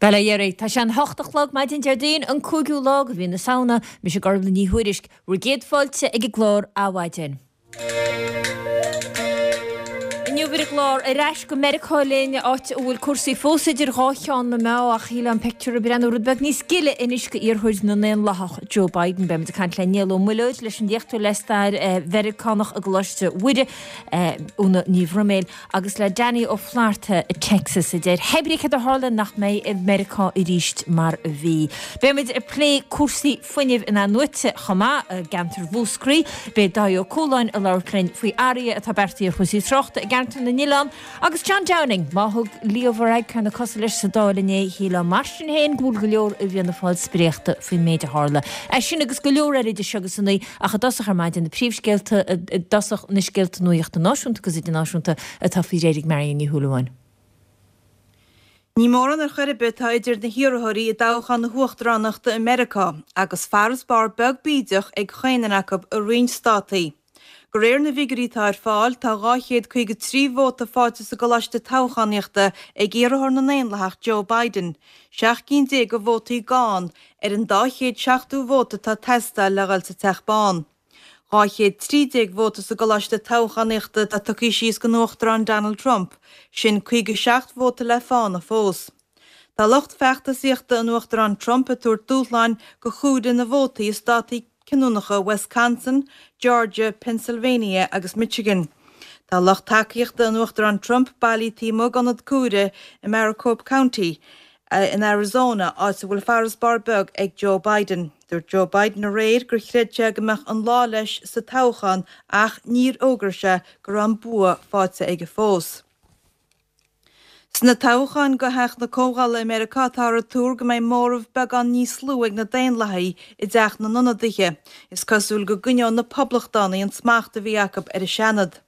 Bhuel, a Dhéaraí, tá sé an hocht a chlog maidin Déardaoin, an cúigiú lá de mhí na Samhna. Mise Gormfhlaith Ní Thuairisg, bhur gcéad fáilte ag an gclár Adhmhaidin. Inniu ar an gclár, ar ais go Meiriceá linn, áit a bhfuil cúrsaí fós idir dhá cheann na meá, ach shílfeá an pictiúr ag breathnú rud beag níos gile anois go iarrthóir na nDaonlathach, Joe Biden. Beimid ag caint le Niall Ó Muilleoid, leis an léachtóir le stair Mheiriceánach i gColáiste Mhuire, Úna Ní Bhroiméil, agus le Danny Ó Flatharta i Texas, a deir hé brí céard a tharla nach mbeidh i Meiriceá arís mar a bhí. Beimid ag plé cúrsaí fuinnimh in-athnuaite chomh maith i gceantar Mhúscraí. Beidh Dáithí Ó Cualáin ag labhairt linn faoi athruithe atá beartaithe ar chúrsaí tráchta i gceantar na nOileán. Agus John Downing, má thug Leo Varadkar na cosa leis sa Dáil inné, shílfeá mar sin féin go bhfuil go leor i bhFianna Fáil spréachta faoin méid a tharla. É sin agus go leor eile idir seo agus a naoi. Ach i dtosach ar maidin, na príomhscéalta, i dtosach na scéalta nuachta náisiúnta agus idirnáisiúnta atá faoi réir ag Marion Ní Shúilleabháin. Ní mórán ar chor ar bith atá idir na hiarrthóirí i dtoghchán na huachtaránachta i Meiriceá, agus farasbarr beag bídeach ag chaon duine acu i roinnt státaí. De réir na bhfigiúirí atá ar fáil, tá 253 vóta faighte sa gcoláiste toghchánaíochta ag iarrthóir na nDaonlathach Joe Biden, 17 cinn de vótaí gann ar an 270 vóta atá ag teastáil le dhul sa Teach Bán. 213 vóta sa gcoláiste toghchánaíochta atá tugtha síos don Uachtarán Donald Trump, sin 57 vóta le fána fós. Tá lucht feachtasaíochta an Uachtaráin Trump ag tabhairt dúshláin do chomhaireamh na vótaí i státaí cinniúnacha Wisconsin, Georgia, Pennsylvania agus Michigan. Tá lucht tacaíochta an Uachtaráin Trump bailithe taobh amuigh d'ionad comhairimh i Maricopa County in Arizona, áit a bhfuil farasbarr beag ag Joe Biden. Dúirt Joe Biden aréir gur chreid sé go mbeadh an lá leis sa toghchán ach níor fhógair sé go raibh an bua faighte aige fós. Sna toghcháin do Theach na Comhdhála i Meiriceá táthar ag tuar go mbeidh móramh beagán níos lú ag na Daonlathaigh i dTeach na nIonadaithe. Is cosúil go gcoinneoidh na Poblachtánaigh an smacht a bhí acu ar an Seanad.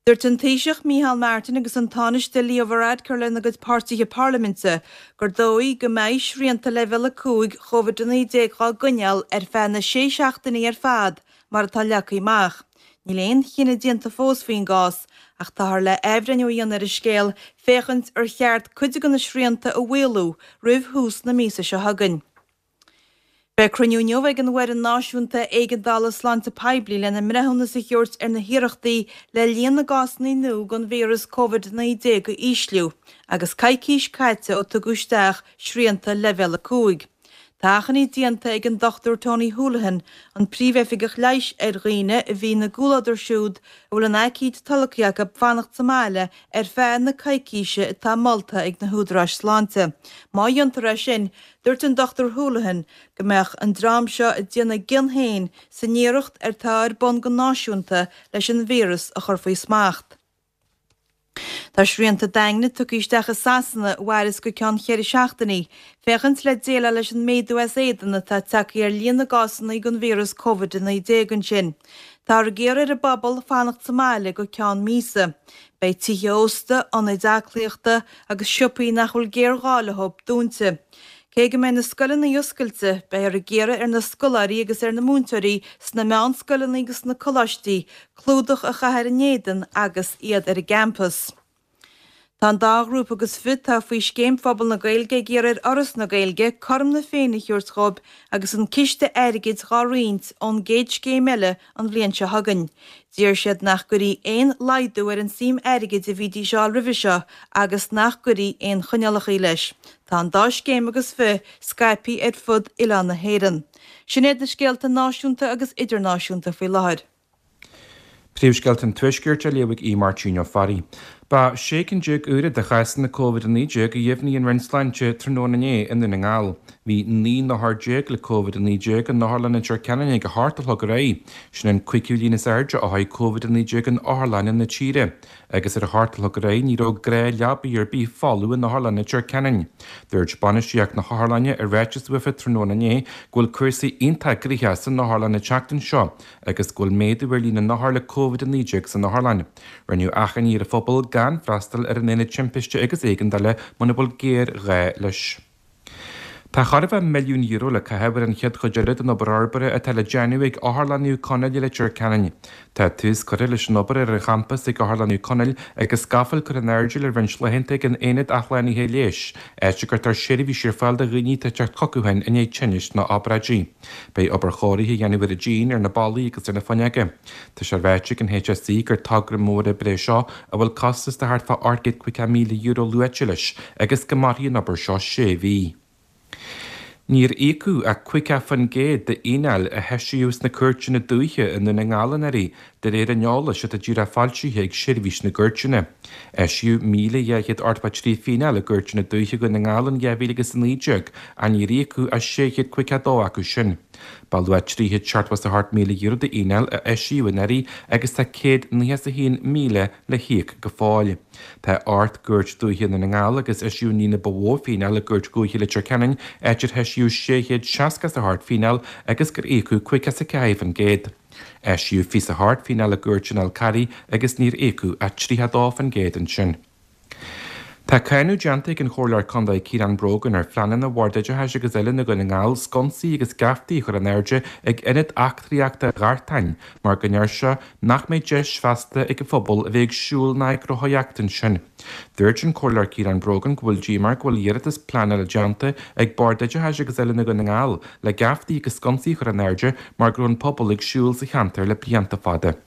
Dúirt an Taoiseach Micheál Martin agus an Tánaiste Leo Varadkar lena gcuid páirtithe parlaiminte gur dóigh go mbeidh srianta Leibhéal 5 Covid-19 á gcoinneáil ar feadh na sé seachtainí ar fad mar atá leagtha amach. Níl aon chinneadh déanta fós faoin gcás ach táthar le athbhreithniú a dhéanamh ar an scéal féachaint ar cheart cuid de na srianta a mhaolú roimh thús na míosa seo chugainn. Beidh cruinniú inniu ag an bhFoireann Náisiúnta Éigeandála Sláinte Poiblí lena mbreithiúnas a thabhairt ar na hiarrachtaí le líon na gcásanna nua den víreas Covid-19 a ísliú agus coicís caite ó tugadh isteach srianta Leibhéal 5. Tá achainí déanta ag an Dr Tony Holohan, an Príomhoifigeach Leighis ar dhaoine a bhí ina gcomhluadar siúd a bhfuil an aicíd tolgtha acu fanacht sa mbaile ar feadh na coicíse atá molta ag na húdaráis sláinte. Má dhéantar é sin, Dúirt an Dr Holohan go mbeadh an dream seo ag déanamh a gcion féin san iarracht atá ar bun go náisiúnta leis an víreas a chur faoi smacht. Tá srianta daingne tugtha isteach i Sasana a mhairfeas go ceann cheithre seachtainí, féachaint le déileáil leis an méadú as éadan atá tagtha ar líon na gcásanna den víreas Covid-19 ansin. Táthar ag iarraidh ar an bpobal fanacht sa mbaile go ceann míosa. Beidh tithe ósta, ionaid aclaíochta agus siopaí nach bhfuil géarghá leo dúnta. Cé go mbeidh na scoileanna oscailte, beifear ag iarraidh ar na scoláirí agus ar na múinteoirí sna meánscoileanna agus sna coláistí clúdach a chaitheamh ar a n-éadan agus iad ar an gcampas. Tá an dá ghrúpa agus fiche atá faoi Scéim Phobal na Gaeilge ag iarraidh ar Fhoras na Gaeilge cothrom na Féinne a thabhairt dhóibh agus an ciste airgid dhá roinnt ón gcéad scéim eile an bhliain seo chugainn. D'iarr siad nach gcuirfí aon laghdú ar an suim airgid a bhídís a fháil roimhe seo agus nach gcuirfí aon choinníollacha leis. Tá an dá scéim agus fiche scaipthe ar fud oileán na hÉireann. Sin iad na scéalta náisiúnta agus idirnáisiúnta faoi láthair. Príomhscéalta an Tuaiscirt á léamh ag Aodh Máirtín Ó Fearraigh. Ba 16 cinn úra de chásanna Covid-19 a dheimhnigh an Roinn Sláinte tráthnóna inné i nDún na nGall. Bhí 19 n-othar le Covid-19 in Otharlann Leitir Ceanainn ag a hocht a chlog ar aghaidh. Sin an cúigiú líon is airde ó thosaigh Covid-19 in otharlanna na tíre. Agus ar a hocht a chlog ar aghaidh ní raibh gnáthleabaí ar bith folamh in Otharlann Leitir Ceanainn. Dúirt bainistíocht na hotharlainne i ráiteas uafa tráthnóna inné go bhfuil cúrsaí iontach gnoitheach san otharlann an tseachtain seo agus go bhfuil méadú ar líon na n-othar le Covid-19 san otharlann. Rinneadh achainí ar an phobal gan freastal ar an Aonad Timpiste agus Éigeandála muna bhfuil géarghá leis. Tá chóir a bheith €1 milliún le caitheamh ar an chéad chuid eile den obair fhorbartha atá le déanamh ag Otharlann Naomh Conaill i Leitir Ceanainn. Tá tús curtha leis an obair ar an champas ag Otharlann Naomh Conaill agus scafaill curtha in airde le roinnt laethanta ag an Aonad Athshlánaithe Leighis, áit a gcuirtear seirbhísí ar fáil do dhaoine atá ag teacht chucu féin i ndiaidh tinnis nó obráidí. Beidh obair chóirithe á dhéanamh ar an díon, ar na ballaí agus ar na fuinneoga. Tá sé ráite ag an HSE gur togra mór oibre é seo a bhfuil costas de thart fá €850,000 luaite leis agus go mairfidh an obair seo sé mhí. Níor íocadh ach 50% de fhíneáil a heisíodh sna cúirteanna dúiche i nDún na nGall anuraidh, de réir an eolais atá díreach foilsithe ag Seirbhís na gCúirteanna. Eisíodh 1,283 fíneáil i gcúirteanna dúiche Dhún na nGall in 2019 ach níor íocadh ach 652 acu sin. Ba luach €378,000 d'fhíneáil a eisíodh anuraidh agus tá €191,000 le híoc go fóill. Tá ocht gcúirt dúiche i nDún na nGall agus eisíodh an líon ba mhó fíneáil i gCúirt Dhúiche Leitir Ceanainn, áit ar heisíodh 668 fíneáil agus gur íocadh 54%. Eisíodh 28 fíneáil i gCúirt an Fhál Carraigh agus níor íocadh ach 32% ansin. Tá cáineadh déanta ag an Chomhairleoir Contae Ciarán Brogan ar phleananna Bhord Oideachais agus Oiliúna Dhún na nGall sconsaí agus geaftaí a chur in airde ag Ionad Eachtraíochta Ghartáin mar go ndeir sé nach mbeidh deis feasta ag an phobal a bheith ag siúl ná ag rothaíocht ansin. Dúirt an Comhairleoir Ciarán Brogan go bhfuil díomá air go bhfuil iarratas pleanála déanta ag Bord Oideachais agus Oiliúna Dhún na nGall le geaftaí agus sconsaí a chur in airde mar go raibh an pobal ag siúl sa cheantar le blianta fada.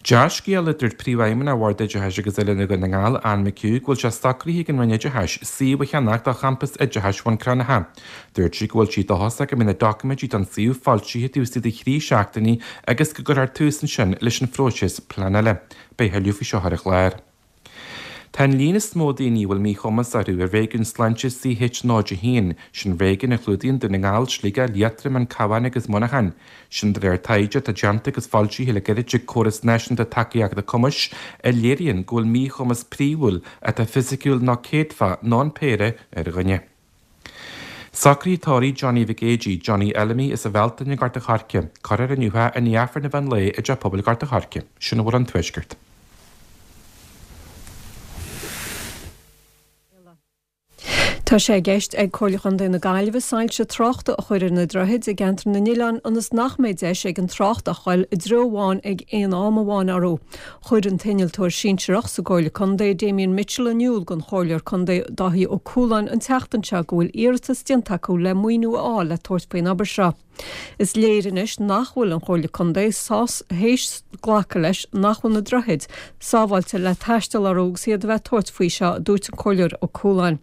Dea-scéala, a dúirt Príomhfheidhmeannach Bhord Oideachais agus Oiliúna Dhún na nGall, Anne McHugh, go bhfuil sé socraithe ag an Roinn Oideachais suíomh a cheannach do champas oideachais Bhun Cranncha. Dúirt sí go bhfuil sí dóchasach go mbeidh na doiciméidí don suíomh foilsithe taobh istigh de thrí seachtainí agus go gcuirfear tús ansin leis an phróiseas pleanála. Beidh tuilleadh faoi seo ar an chlár. Tá an líon is mó daoine a bhfuil míchumas orthu i réigiún sláinte CH01, sin réigiún a chlúdaíonn Dún na nGall, Sligeach, Liatroim, an Cabhán agus Muineachán. Sin de réir taighde atá déanta agus foilsithe le gairid ag Córas Náisiúnta Tacaíochta Cumais a léiríonn go bhfuil míchumas príomhúil atá fisiciúil nó céadfach nó an péire ar dhuine. Socruithe tórraimh Johnny Mhic Éadaigh, Johnny Fheilimí as an Bhealtaine i nGort a' Choirce. Cuirfear inniu é i ndiaidh Aifreann an mheán lae i dTeach Pobail Ghort a' Choirce. Sin a bhfuil ón Tuaisceart. Tá sé i gceist ag Comhairle Chontae na Gaillimhe soilse tráchta a chur ar na droichid i gCeantar na nOileán ionas nach mbeidh deis ag an trácht ach dul i dtreo amháin ag aon am amháin orthu. Chuir an t-innealtóir sinsearach sa gComhairle Contae, Damien Mitchell in iúl don Chomhairleoir Contae Dáithí Ó Cualáin an tseachtain seo go bhfuil iarratas déanta acu le maoiniú a fháil le tabhairt faoin obair seo. Is léir anois nach bhfuil an Chomhairle Contae théis glacadh leis nach bhfuil na droichid sábháilte le taisteal orthu agus iad a bheith ag tabhairt faoi seo, a dúirt an Comhairleoir Ó Cualáin.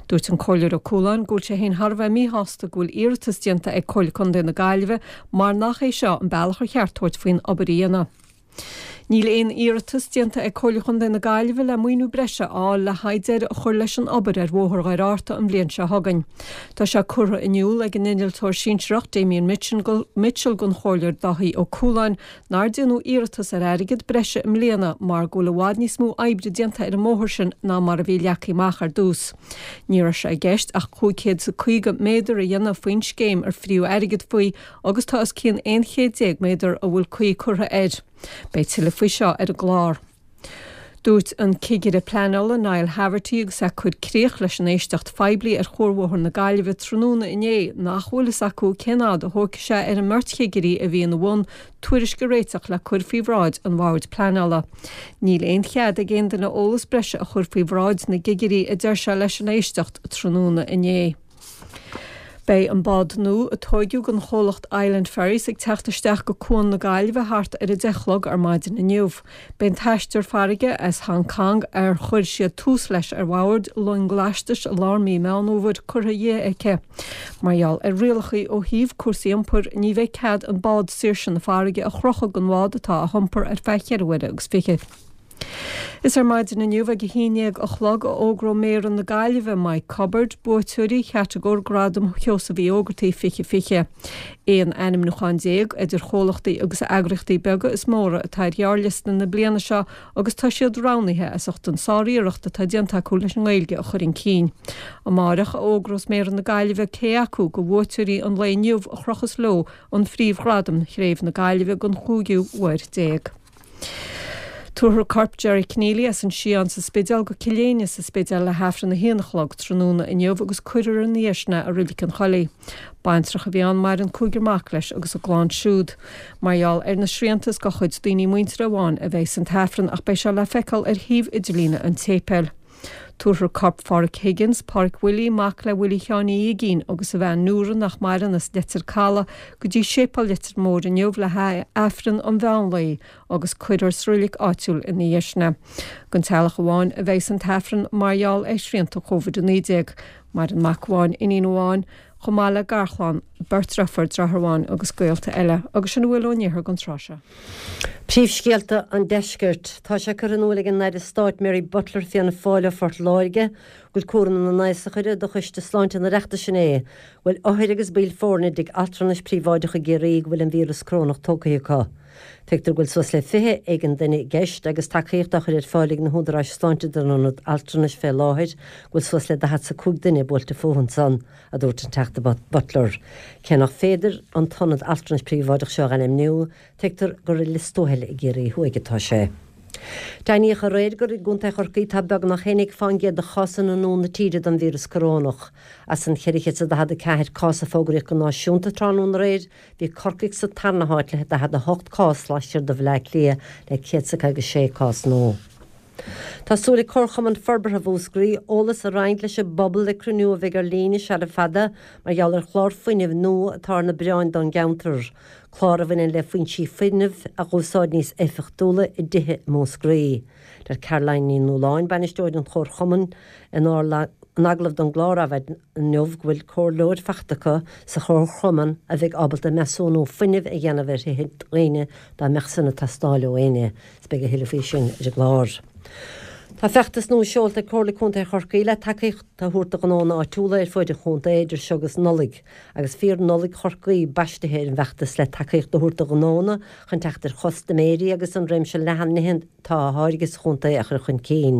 Dúirt an Comhairleoir Ó Cualáin go bhfuil sé féin thar a bheith míshásta go bhfuil iarratas déanta ag Comhairle Contae na Gaillimhe mar nach é seo an bealach ar cheart tabhairt faoin obair a dhéanamh. Níl aon iarratas déanta ag Comhairle Chontae na Gaillimhe le maoiniú breise a fháil le haghaidh deireadh a chur leis an obair ar Bhóthar Dhoire Fhearta an bhliain seo chugainn. Tá sé curtha in iúl ag an innealtóir sinsearach Damien Mitchell don Chomhairleoir Dáithí Ó Cualáin nár déanadh iarratas ar airgead breise i mbliana mar go bhfuil i bhfad níos mó oibre déanta ar an mbóthar sin ná mar a bhí leagtha amach ar dtús. Ní raibh sé i gceist ach 550 méadar a dhéanamh faoin scéim ar fríodh airgead faoi agus tá os cionn 11 chéad méadar a bhfuil caoi curtha air. Beidh tuilleadh faoi seo ar an gclár. Dúirt an Cigire Pleanála Niall Haverty agus é ag cur críoch leis an éisteacht phoiblí ar Chuarbhóthar na Gaillimhe tráthnóna inné nach bhfuil fhios acu cén fhad a thógfaidh sé ar an mbeirt chigirí a bhí ina bhun tuairisc a réiteach le cur faoi bhráid an Bhoird Pleanála. Níl aon chead ag aon duine eolas breise a chur faoi bhráid na gcigirí a deir sé leis an éisteacht tráthnóna inné. Beidh an bád nua a tóigeadh don chomhlacht Island Ferries ag teacht isteach go Cuan na Gaillimhe thart ar 10 a chlog ar maidin inniu. Beidh an t-aistear farraige as Hong Kong ar chuir siad tús leis ar bhord long lastais i lár mí Meán Fhómhair curtha dhi aici. Mar gheall ar rialacha ó thaobh cúrsaí iompair ní bheidh cead an bád Saoirse na Farraige a chrochadh den bhád atá á hiompar ar feadh cheithre uaire agus fiche. Is ar maidin inniu ag a haon dhéag a chlog a fhógróidh Méara na Gaillimhe, Mike Cubbard, buaiteoirí chatagóir Gradam Sheosaimh Uí Ógartaigh 2020. 11 ainmniúchán idir chomhlachtaí agus eagraíochtaí beaga is móra atá ar ghearrliosta na bliana seo agus tá siad roghnaithe as ucht an sáriarracht atá déanta acu leis an nGaeilge a chur chun cinn. Amáireach a fhógrós Méara na Gaillimhe cé acu de bhuaiteoirí an lae inniu a chrochfas leo an phríomhghradam Chraobh na Gaillimhe don chúigiú huair déag. Tabharfar corp Gerry Conneely as an Sián sa Spidéal go Cill Éinne sa Spidéal le hAifreann a haon a chlog tráthnóna inniu agus cuirfear ina dhiaidh sin é i Reilig an Choilligh. Baintreach a bhí ann, maireann cúigear mac leis agus a gclann siúd. Mar gheall ar na srianta is do chuid daoine muinteartha amháin a bheidh san t-Aifreann ach beidh sé le feiceáil ar shuíomh idirlíne an tséipéil. Tabharfar corp Pháraic Higgins, Páraic Willie, mac le Willie Sheáin Uí Uigínn agus a bhean Nóra nach maireann as Leitir Caladh go dtí Séipéal Leitir Móir inniu le haghaidh Aifreann an mheán lae agus cuirfear sa reilig áitiúil ina dhiaidh sin é. Don teaghlach amháin a bheidh an t-Aifreann mar gheall ar shrianta Covid-19. Maireann mac amháin, iníon amháin, chomh maith le garchlann, beirt deirfiúr, deartháir amháin agus gaolta eile. Agus sin a bhfuil ón iarthar don tráth seo. Príomhscéalta an Deiscirt. Tá sé curtha in iúl ag an Aire Stáit Mary Butler, Fianna Fáil ó Phort Láirge, go bhfuil cúram na n-aosach uirthi do Choiste Sláinte an Oireachtais inné, go bhfuil othair agus baill foirne i dtigh altranais príobháideach i gCiarraí go bhfuil an víreas corónach tógtha acu. Tuigtear go bhfuil suas le 20 éigin duine i gceist agus tacaíocht á chur ar fáil ag na húdaráis sláinte don ionad altranais fé láthair go bhfuil suas le 45 duine buailte fúthu ansan, a dúirt an Teachta Butler. Cé nach féidir an t-ionad altranais príobháideach seo a ainmniú, tuigtear gur i Lios Tuathail i gCiarraí Thuaidh atá sé. Deimhníodh aréir gur i gContae Chorcaí atá beagnach 11% de chásanna nua na tíre den víreas corónach. As an 444 cás a fógraíodh go náisiúnta tráthnóna aréir, Bhí Corcaigh sa tarna háit le 48 cás laistiar de Bhaile Átha Cliath le 156 cás nua. Tá súil ag Comharchumann Forbartha Mhúscraí eolas a roinnt leis an bpobal ag cruinniú a bheidh ar líne sara fada mar gheall ar chlár fuinnimh nua atá ar na bioráin don gceantar, clár a bhaineann le foinsí fuinnimh a dh'úsáid níos éifeachtúla i dtithe i Múscraí. Deir Caroline Ní Nualláin, bainisteoir an Chomharchumainn, in agallamh don gclár Adhmhaidin inniu go bhfuil comhairleoir faighte acu sa chomharchumann a bheidh ábalta measúnú fuinnimh a dhéanamh ar thithe daoine dá mbeadh san ag teastáil ó éinne. Is beidh a thuilleadh faoi sin ar an gclár. Tá feachtas nua seolta ag Comhairle Contae Chorcaí le tacaíocht a thabhairt do ghnónna áitiúla ar fuaid an chontae idir seo agus Nollaig, agus Fíor-Nollaig Chorcaí baistithe ar an bhfeachtas le tacaíocht a thabhairt do ghnónna chun teacht ar chustaiméirí agus an réimse leathan nithe atá á tháirgeadh sa chontae a chur chun cinn.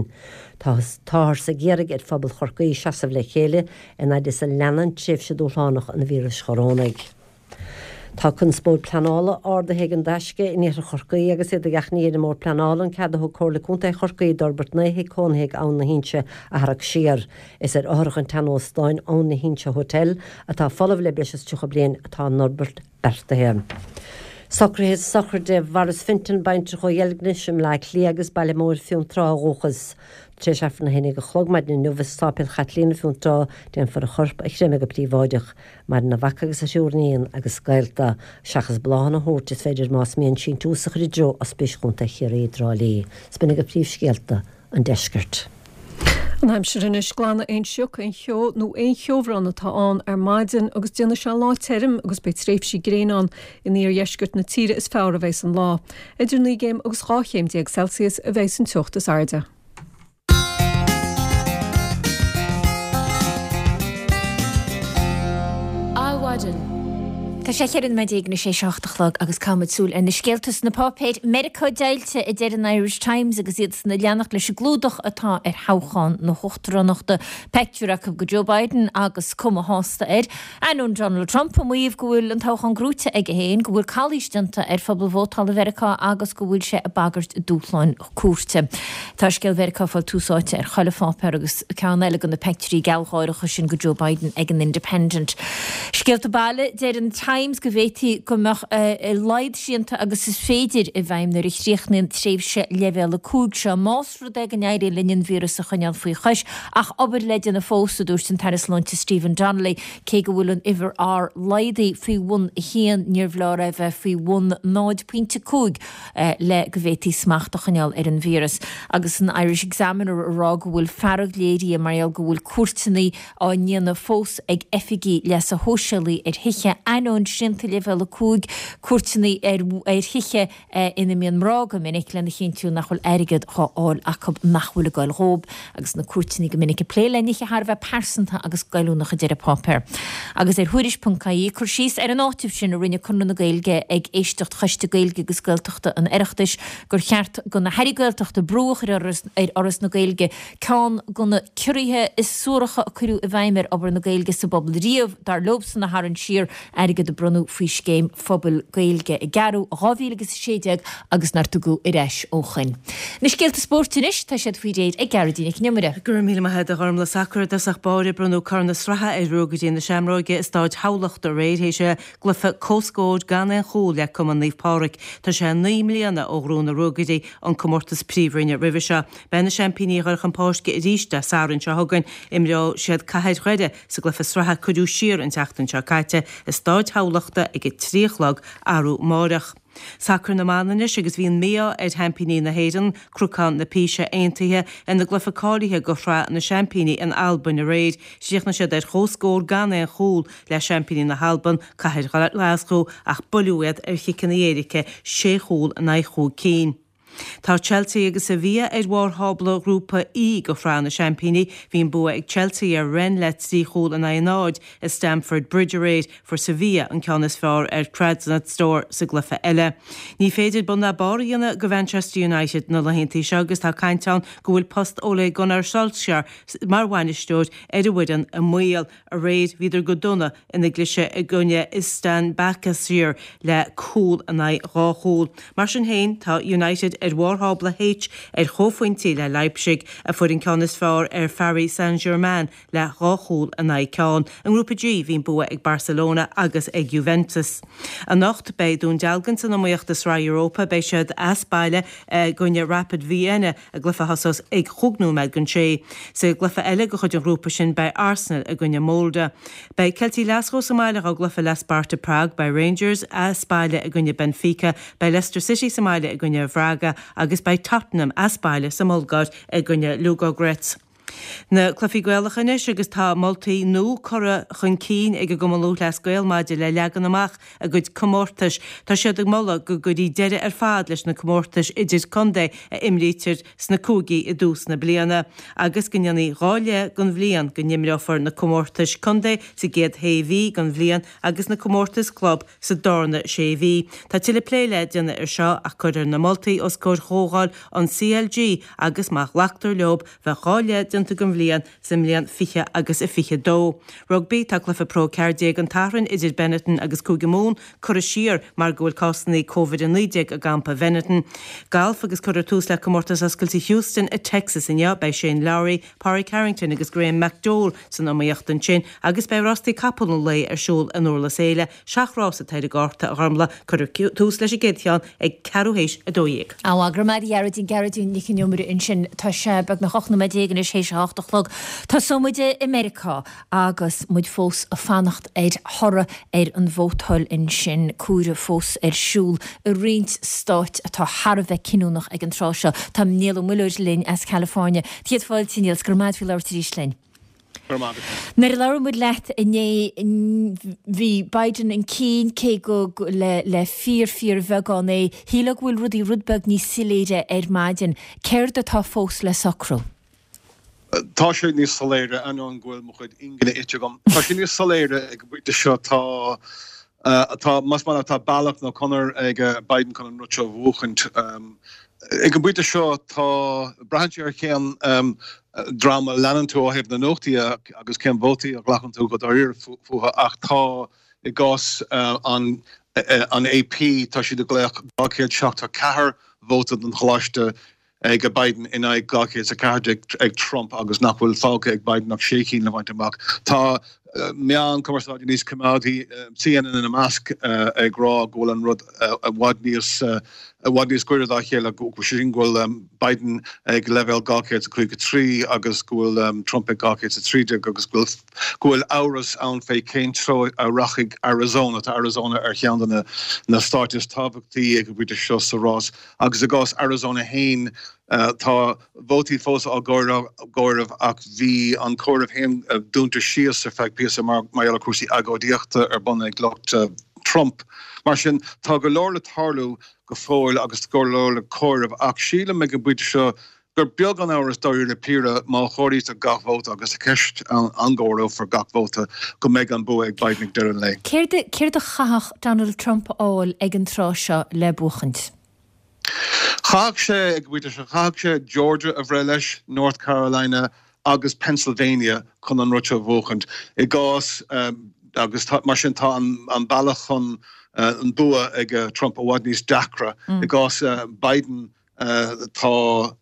Táthar ag iarraidh ar phobal Chorcaí seasamh le chéile in fhaid is a leanann tréimhse dúshlánach an víris chorónaigh. Tá conspóid pleanála ardaithe ag An Taisce in iarthar Chorcaí agus iad ag achainí ar an mBord Pleanála an cead a thug Comhairle Contae Chorcaí d'fhorbairt 9 thigh cónaithe ag Abhainn na hInse a tharrac siar. Is ar fhothrach an tseanóstáin Abhainn na hInse Hotel, atá folamh le breis is 30 bliain, atá an fhorbairt beartaithe. Socruithe sochraide Mhaurice Fenton, baintreach ó Dheilgnis i mBleá Cliath agus Baile Móir Fionntrá ó dhúchas. Tar éis Aifreann 11 a chlog maidin inniu i Sáipéal Chaitlíona Fionntrá déanfar a chorp a chreimeadh go príobháideach. Maireann a mhac agus a thriúr iníon agus gaolta. Seachas bláthanna a thabhairt is féidir más mian síntiús a chur i dtreo Ospís Chontae Chiarraí i dTrá Lí. 'S b'in agaibh príomhscéalta an deiscirt. An aimsir anois, glanfaidh aon sioc, aon cheo nó aon cheobhrán atá ann ar maidin agus déanfaidh sé lá tirim agus beidh tréimhsí gréine ann. In iardheisceart na tíre is fearr a bheas an lá. Idir 9 gcéim agus 12 chéim Celsius a bheas an teocht is airde. Adhmhaidin. Tá sé 14 nóiméad tar éis a 7 a chlog agus caithfimid súil ar na scéalta sna páipéir. Meiriceá deighilte, a deir an Irish Times agus iadsan ag leanacht leis an gclúdach atá ar thoghchán na huachtaránachta. Pictiúr acu de Joe Biden agus cuma shásta air. Ainneoin Donald Trump ag maíomh go bhfuil an toghchán gnóite aige féin, go bhfuil calaois déanta ar phobal vótála Mheiriceá agus go bhfuil sé ag bagairt dúshláin cúirte. Tá scéal Mheiriceá ag fáil tús áite ar chuile pháipéar agus ceann eile de na peictiúirí gealgháireacha sin de Joe Biden ag an Independent. Scéalta baile, deir an Times go bhféadfaí go mbeadh a laghad srianta agus is féidir i bhfeidhm nuair a chríochnaíonn tréimhse leibhéal 5 seo, más rud é go n-éiríonn linn an víreas a choinneáil faoi chois. Ach obair le déanamh fós, a dúirt an tAire Sláinte Stephen Donnelly. Cé go bhfuil an uimhir R laghdaithe faoi bhun 1, níorbh leor é bheith faoi bhun 0.5. le go bhféadfaí smacht a choinneáil ar an víreas. Agus an Irish Examiner ag rá go bhfuil fearg léirithe mar gheall go bhfuil cuairteanna á ndéanamh fós ag oifigigh leasa shóisialaigh ar thithe, ainneoin srianta leibhéal 5, cuairteanna ar thithe ina mbíonn mná go minic lena chinntiú nach bhfuil airgead dhá fháil acu nach bhfuil ag goil dhóibh. Agus na cuairteanna go minic ag plé le nithe thar a bheith pearsanta agus goilliúnach a deir an páipéar. Agus ar Thuairisc.ie, cur síos ar an áiteamh sin a rinne Conradh na Gaeilge ag éisteacht Choiste Gaeilge agus Gaeltachta an Oireachtais gur cheart do na hAirí Gaeltachta brú a chur ar Fhoras na Gaeilge ceann de na ciorruithe is suaracha a cuireadh i bhfeidhm ar obair na Gaeilge sa bpobal riamh, dar leobsan, a tharraingt siar, airgead a. bronnadh faoi Scéim Phobail Gaeilge i gCeathrú 2016 agus nár tugadh ar ais ó shoin. Na scéalta spóirt anois, tá siad faoi réir ag Gearóidín Nic an Iomaire. Go raibh míle maith agat a Ghormlaith. Sacar i dtosach báire, bronnadh Corn na Sraithe ar Ruagairí na Seamróige i Stáid Thamhlachta aréir théis a gcluiche comhscóir gan aon chúl le Cumann Naomh Pádraig. Tá sé 9 mbliana ó ghnóthaigh na Ruagairí an comórtas príomhroinne roimhe seo. Beidh na seaimpíní ag dul chun páirce arís Dé Sathairn seo chugainn. Imreoidh siad Cathair Dhoire sa gcluiche sraithe a cuireadh siar an tseachtain seo caite i Stáid Thamhlachta ag a 3 a chlog arú amáireach. Sacar na mban anois agus bhí an mí-ádh ar sheaimpíní na hÉireann, Cnocán na Píse Aontaithe, ina gcluiche cáilithe go Shraith na Seaimpíní in Albain aréir. Chríochnaigh siad ar chomhscór gan aon chúl le seaimpíní na hAlban, Cathair Ghlaschú, ach buaileadh iad ar chiceanna éirice, sé chúl in aghaidh chúig cinn. Tá Chelsea agus Sevilla ar bharr thábla Ghrúpa E go Shraith na Seaimpíní. Bhí an bua ag Chelsea ar Rennes le 3 chúl in aghaidh a 0 i Stamford Bridge aréir. Fuair Sevilla an ceann is fearr ar Trabzonspor sa gcluiche eile. Ní féidir bun ná barr a dhéanamh go Manchester United na laethanta seo agus tá caint ann go bhfuil post Ole Gunnar Solskjaer mar bhainisteoir ar an bhfoireann i mbaol. Aréir bhíodar go dona ina gcliseadh i gcoinne Istan Basaksehir le cúl in aghaidh dhá chúl. Mar sin féin, tá United ar bharr thábla H ar chomhphointí le Leipzig, a fuair an ceann is fearr ar Pharis Saint-Germain le dhá chúl in aghaidh ceann. I nGrúpa G, bhí an bua ag Barcelona agus ag Juventus. Anocht, beidh Dún Dealgan san iomaíocht i Sraith Europa. Beidh siad as baile i gcoinne Rapid Vienna. I gcluiche a thosós ag chúig nóiméad don sé. Sa gcluiche eile de chuid an ghrúpa sin beidh Arsenal i gcoinne Molde. Beidh Ceiltigh Ghlaschú sa mbaile dhá gcluiche le Sparta Prague, beidh Rangers as baile i gcoinne Benfica, beidh Leicester City sa mbaile i gcoinne Bhraga agus beidh Tottenham as baile sa mBulgáir i gcoinne Ludogorets. Na cluichí Gaelacha anois agus tá moltaí nua curtha chun cinn ag an gCumann Lúthchleas Gael maidir le leagan amach a gcuid comórtais. Tá siad ag moladh go gcuirfí deireadh ar fad leis na comórtais idir-chontae a imrítear sna cúigí i dtús na bliana agus go ndéanfaí 2 leith den bhliain, go n-imreofar na comórtais contae sa gcéad shé mhí den bhliain agus na comórtais club sa darna sé mhí. Tá tuilleadh plé le déanamh air seo ach cuirfear na moltaí os comhair chomhdháil an CLG agus má ghlactar leo bheadh 2 leith déanta den bhliain sa mbliain 20 agus 22. Rugbaí, Tá cluiche Pro 14 an tSathairn idir Benetton agus Cúige Mumhan curtha siar mar go bhfuil cásanna Covid-19 i gcampa Bhenetton. Galf agus cuirfear tús le Comórtas Oscailte Houston i Texas inniu. Beidh Shane Lowry, Pádraig Harrington agus Graham McDowell san iomaíocht ansin agus beidh rástaí capall an lae ar siúl in Durlas Éile Seacht rás atá ar an gcárta, a Ghormlaith. Cuirfear tús leis an gcéad cheann ag ceathrú théis 12. Á, go raibh maith agat a Ghearóidín, Gearóidín Nic an Iomaire ansin. Tá sé beagnach 18 nóiméad anois théis a hocht a chlog. Tosóidh muid i Meiriceá agus muid fós ag fanacht ar thoradh ar an vótáil ansin, comhaireamh fós ar siúl i roinnt stáit atá thar a bheith cinniúnach ag an tráth seo. Tá Niall Ó Muilleoir linn as California. Céad fáilte, Niall, 's go raibh maith agat faoi labhairt arís linn. Nuair a labhair muid leat inné bhí Biden chun cinn, cé gur le fíor fíor bheagán é. Shílfeá go bhfuil rudaí rud beag níos soiléire ar maidin. Céard atá fós le socrú? Tá sé níos soiléire, ainneoin go bhfuil mo chuid ingne ite agam. Tá sé níos soiléire ag an bpointe seo. Tá, tá, más maith leat, tá bealach nó conair ag Biden chun an rud seo a bhuachaint. Ag an bpointe seo, tá, braitheann sé ar cén dream a leanann tú ó thaobh na nuachtaí agus cén vótaí a ghlacann tú go dáiríre fúthu ach tá, i gcás an an AP, tá siad ag glaoch 274 vóta don choláiste ag Biden in aghaidh 214 ag Trump agus nach bhfuil fágtha ag Biden ach sé cinn le baint amach. Tá meáin cumarsáide níos coimeádaí, CNN ina measc, ag rá go bhfuil an rud i bhfad níos i bhfad níos gaire dá chéile, sé sin go bhfuil Biden ag leibhéal 253 agus go bhfuil Trump ag 213 agus go bhfuil go bhfuil amhras ann fé cén treo a rachaidh Arizona. Tá Arizona ar cheann de na stáit is tábhachtaí ag an bpointe seo sa rás agus i gcás Arizona féin tá vótaí fós á gcomhaireamh ach bhí an comhaireamh féin dúnta síos ar feadh píosa mar gheall ar chúrsaí agóidíochta ar bun ag lucht Trump. Mar sin, tá go leor le tarlú go fóill agus go leor le comhaireamh ach sílim ag an bpointe seo gur beag an amhras dáiríre píre má chomhairítear gach vóta agus tá ceist ann an gcomhaireofar gach vóta go mbeidh an bua ag Biden ag deireadh an lae. Céard a chaithfeadh Donald Trump a fháil ag an tráth seo le buachaint? Chaithfeadh sé, ag an bpointe seo, chaithfeadh sé Georgia a bhreith leis, North Carolina agus Pennsylvania chun an rud seo a bhuachaint. I gcás. Agus tá, mar sin tá an bealach chun an bua ag Trump i bhfad níos deacra. I gcás Biden tá,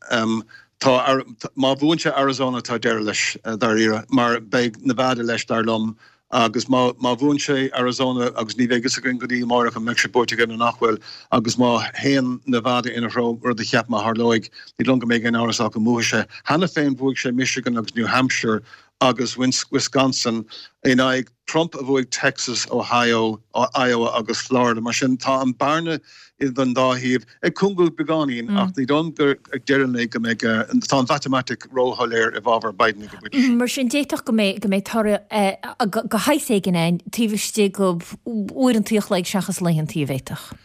tá, má bhuann sé Arizona tá deireadh leis dáiríre mar beidh Nevada leis dar liom agus má, má bhuann sé Arizona agus ní bheidh fhios againn go dtí amáireach an mbeidh sé buaite aige nó nach bhfuil agus má théann Nevada ina threo, rud a cheapaim a tharlóidh, ní dóigh liom go mbeidh aon amhras ach go mbuafaidh sé. Cheana féin bhuaigh sé Michigan agus New Hampshire agus Wisconsin in aghaidh Trump a bhuaigh Texas, Ohio, Iowa agus Florida. Mar sin tá an bearna idir an dá thaobh ag cúngú beagáinín ach ní dóigh liom gur ag deireadh an lae go mbeidh, tá an mhatamaitic róshoiléir i bhfabhar Biden ag an bpointe seo. Mar sin d'fhéadfadh go mbeidh, go mbeidh toradh de shaghas éigin ann taobh istigh d'uaireanta a chloig seachas laethanta a bhféadfadh.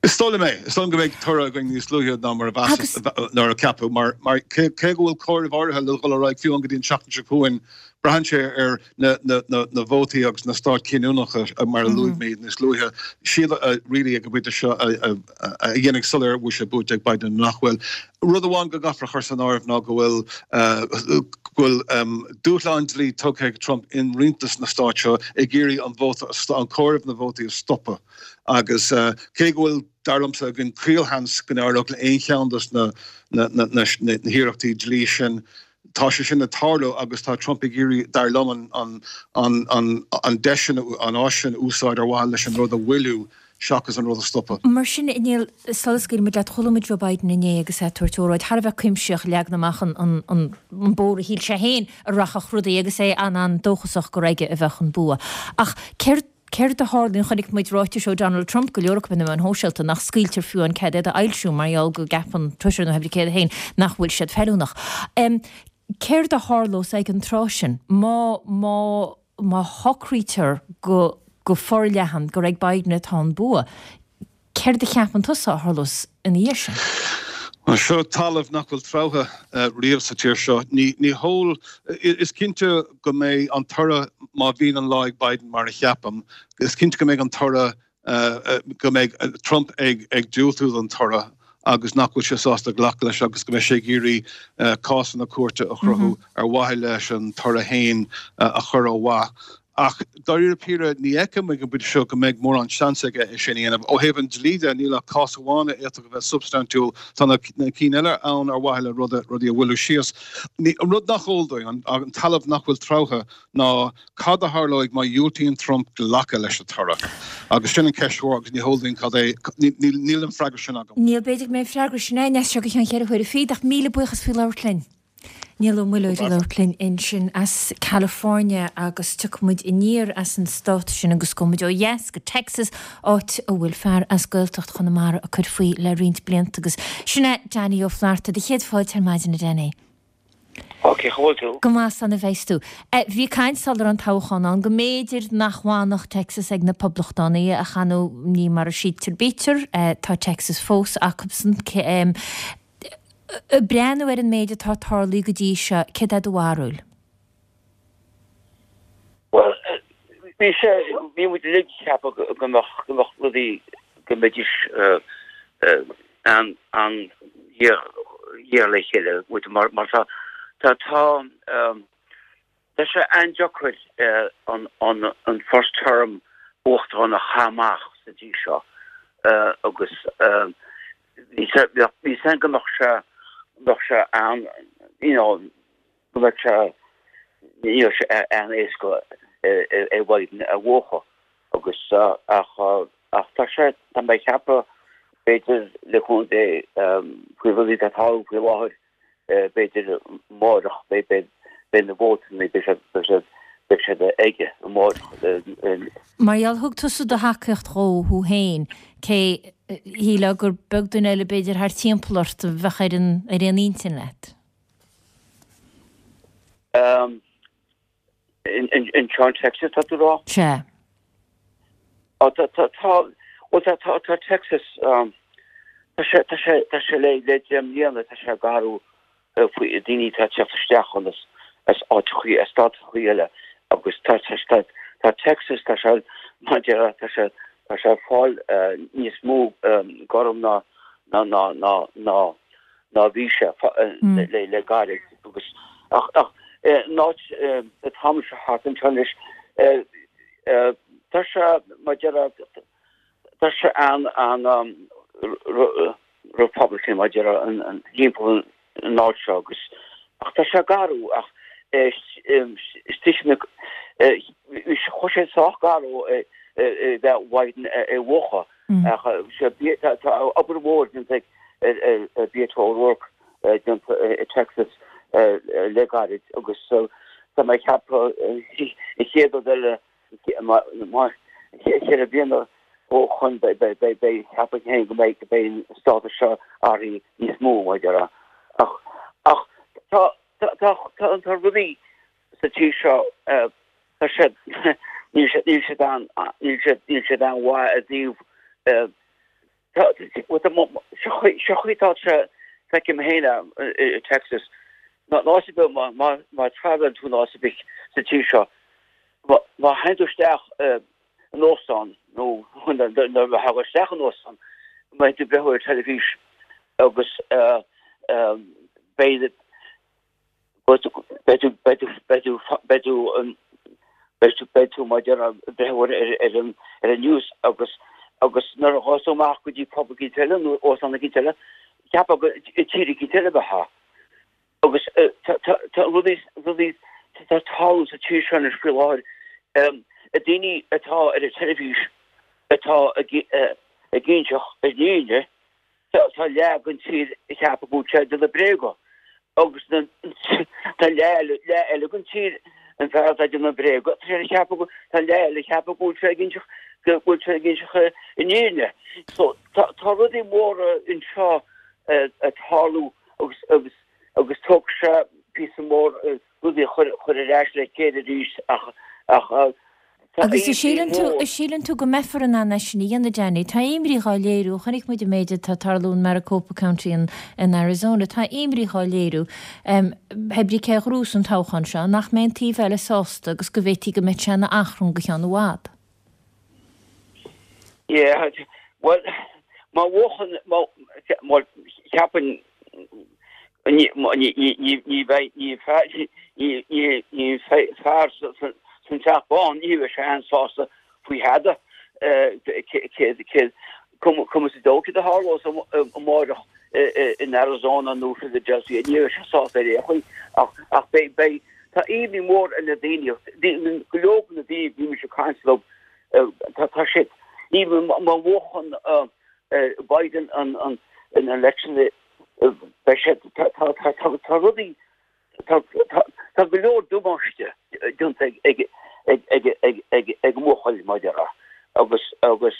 Is dóigh liom é. Is dóigh liom go mbeidh toradh againn níos luaithe ná mar a mheasas, ná a ceapadh, mar, mar cé, cé go bhfuil comhaireamh áirithe le dhul ar aghaidh fiú amháin go dtí an tseachtain seo chugainn, braitheann sé ar na, na, na, na vótaí agus na stáit chinniúnacha, mar a luaigh mé níos luaithe, siad a, really ag an bpointe seo a, a, a dhéanfaidh soiléir an bhfuil sé buaite ag Biden nó nach bhfuil. Rud amháin go gcaithfear a chur san áireamh ná go bhfuil, go bhfuil dúshlán dlí tugtha ag Trump in roinnt de na stáit seo ag iarraidh an vóta, an comhaireamh na vótaí a stopadh. Agus cé go bhfuil, dar liomsa, againn caolsheans go n-éireodh le aon cheann de na hiarrachtaí dlí sin, tá sé sin ag tarlú agus tá Trump ag iarraidh, dar liom, an deis sin, an áis sin a úsáid ar mhaithe leis an rud a mhoilliú seachas an rud a stopadh. Mar sin, a Néill, sula scaoilfidh muid leat, chuala muid Joe Biden inné agus é ag tabhairt óráid thar a bheith cuimsitheach, leagan amach an bóthar a shíl sé féin a rachadh rudaí agus é an-an-dóchasach gur aige a bheadh an bua. Ach céard Céard a tharlaíonn? Chonaic muid ráitis ó Donald Trump, go leor acu ar na meáin shóisialta, nach scaoiltear fiú an cead iad a fhoilsiú mar gheall go gceapann Twitter nó pé céard é féin nach bhfuil siad feiliúnach. Céard a tharlós ag an tráth sin má, má, má shocraítear go, go forleathan gur ag Biden atá an bua? Céard a cheapann tusa a tharlós ina dhiaidh sin? Bhuel, seo talamh nach bhfuil treabhtha riamh sa tír seo. Ní heol. Is cinnte go mbeidh an toradh, má bhíonn an lá ag Biden mar a cheapaim, is cinnte go mbeidh an toradh, go mbeidh Trump ag diúltú don toradh agus nach bhfuil sé sásta glacadh leis agus go mbeidh sé ag iarraidh cásanna cúirte a chruthú ar mhaithe leis an toradh féin a chur ó mhaith. Ach dáiríre píre, ní fheicim ag an bpointe seo go mbeidh mórán seans aige é sin a dhéanamh. Ó thaobh an dlí de, níl ach cás amháin a fhéadfadh a bheith substaintiúil. Tá na cinn eile ann ar mhaithe le rudaí a mhoilliú síos. An rud nach eol dúinn, an talamh nach bhfuil treabhtha, ná cad a tharlóidh má dhiúltaíonn Trump glacadh leis an toradh. Agus sin an cheist mhór agus ní heol dúinn cad é, níl an freagra sin agam. Níl, b'fhéidir go mbeidh an freagra sin againn as seo go ceann cheithre huaire fichead, ach míle buíochas faoi labhairt linn. Niall Ó Muilleoir ag labhairt linn ansin as California agus tiocfaidh muid aniar as an stát sin agus gabhfaidh muid ó dheas go Texas, áit a bhfuil fear as Gaeltacht Chonamara ag cur faoi le roinnt blianta agus sin é Danny Ó Flatharta. Do chéad fáilte ar maidin a Danny. Ó cén chaoi a bhfuil tú? Go maith 's ana bheas tú. Bhí caint sula raibh an toghchán ann go mb'fhéidir nach bhfanfadh Texas ag na Poblachtánaigh ach ar ndóigh ní mar a síltear bítear. Tá Texas fós acubsan. Ag breathnú ar an méid atá tarlaithe go dtí seo, céard é do bharúil? Bhuel, bhí sé, bhí muid uilig ag ceapadh go mbeadh, go mbeadh rudaí, go mbeidís an-ghéar le chéile, mar, mar tá, tá, tá, Tá sé an-deacair an first term uachtarán a chaitheamh amach sa dtír seo agus bhí a fhios againn go mbeadh sé, mbeadh sé an, you know, go mbeadh sé, ní raibh sé an-éasca ar Biden a bhuachan agus ach ach tá sé, tá mé ag ceapadh b'fhéidir le cúnamh Dé faoi rudaí atá ag tarlú faoi láthair b'fhéidir amárach, beidh na vótanna, beidh siad, beidh siad, beidh siad aige amárach. Mar gheall, thug tusa do thacaíocht dhó, thú féin, cé shílfeá gur beag duine eile b'fhéidir thar timpeall ort a bheadh ar an, ar aon intinn leat? Anseo in Texas, tá tú ag rá? Sea. Ó, tá, tá, tá, bhuel, tá, tá, tá Texas, tá sé, tá sé, tá sé le, le deich mbliana, tá sé ag athrú faoi daoine atá ag teacht isteach ann as, as áiteachaí, as státachaí eile agus tá, tá, tá, tá Texas, tá sé, mar a déarfá, tá sé, tá sé ag fáil níos mó gorm ná, ná, ná, ná, ná, ná bhí sé le gairid agus ach ach an áit atá mise thart anseo anois. Tá sé, mar a déarfá, tá sé an Republican mar a déarfá an thimpeall an áit seo agus ach tá sé garbh ach istigh na chuaigh sé sách garbh bheith Biden a bhuachan ach tá obair mhór déanta ag Beto O'Rourke déanta i Texas le gairid agus tá mé ag ceapadh an chéad rud eile 4 bliana ó shoin beidh ceapaim féin go mbeidh go mbeidh an stádas seo athraithe níos mó mar a déarfá. Ach ach tá tá tá tá rudaí sa tír seo tá siad níl siad níl siad an níl siad níl siad an-mhaith i dtaobh Seo chaoi tá sé feicim féin i Texas. Ná áit ar bith má travelann tú in áit ar bith sa tír seo, má théann tú isteach in óstán nó nuair a thagann isteach in óstán, beidh tú ag breathnú ar teilifís agus beidh Beidh tú, beidh tú, beidh tú, beidh tú, beidh tú, beidh tú, beidh tú mar a déarfá ag breathnú ar, ar, ar an, ar an news agus, agus nuair a ghabhfas tú amach go dtí pub eicínt eile nó óstán eicínt eile, cheapfá gur i tír eicínt eile a bheifeá. Agus tá, tá, tá rudaí, rudaí, tá tarlú sa tír seo anois faoi láthair, daoine atá ar an teilifís atá ag, ag inseacht an fhírinne, Tá leath den tír ag ceapadh go bhfuil sé ag déanamh bréaga agus tá leath eile den tír, an fear atá ag déanamh bréaga, tá sé ag ceapadh go, tá leath eile ag ceapadh go bhfuil sé ag inseacht, go bhfuil sé ag inseacht an fhírinne. So tá rudaí móra anseo ag tarlú agus agus agus tógfaidh sé píosa mór rudaí a chur chur ar ais le chéile arís ach ach tá Agus an imní síleann tú, mhór. an síleann tú go mbeifear in ann é sin a dhéanamh, Danny? Tá imní dhá léiriú, chonaic muid an méid atá ag tarlú in Maricopa County in, in Arizona, tá imní dhá léiriú, pé brí cé a ghnóthós an toghchán seo, nach mbeidh an taobh eile sásta agus go bhféadfaí go mbeadh sé ina achrann go ceann i bhfad. Yeah, bhuel, má bhuachann, má, bhuel, cheapfainn, ní, ní, ní, ní bheidh, ní fear, ní, ní, ní fear san Teach Bán, ní bheidh sé an-sásta faoi thada, cé, cé, cuma sa dóigh céard a tharlós amáireach in Arizona nó Philadelphia, ní bheidh sé sásta ar aon chaoi, ach, ach beidh, beidh, tá imní mór ar na daoine, go leor de na daoine a bhímse ag caint leo, tá, tá siad, even má bhuachann Biden an, an, an election, beidh sé, tá, tá, tá, tá, tá rudaí, Tá go leor damáiste déanta ag an mbuachaill, mar a déarfá, agus agus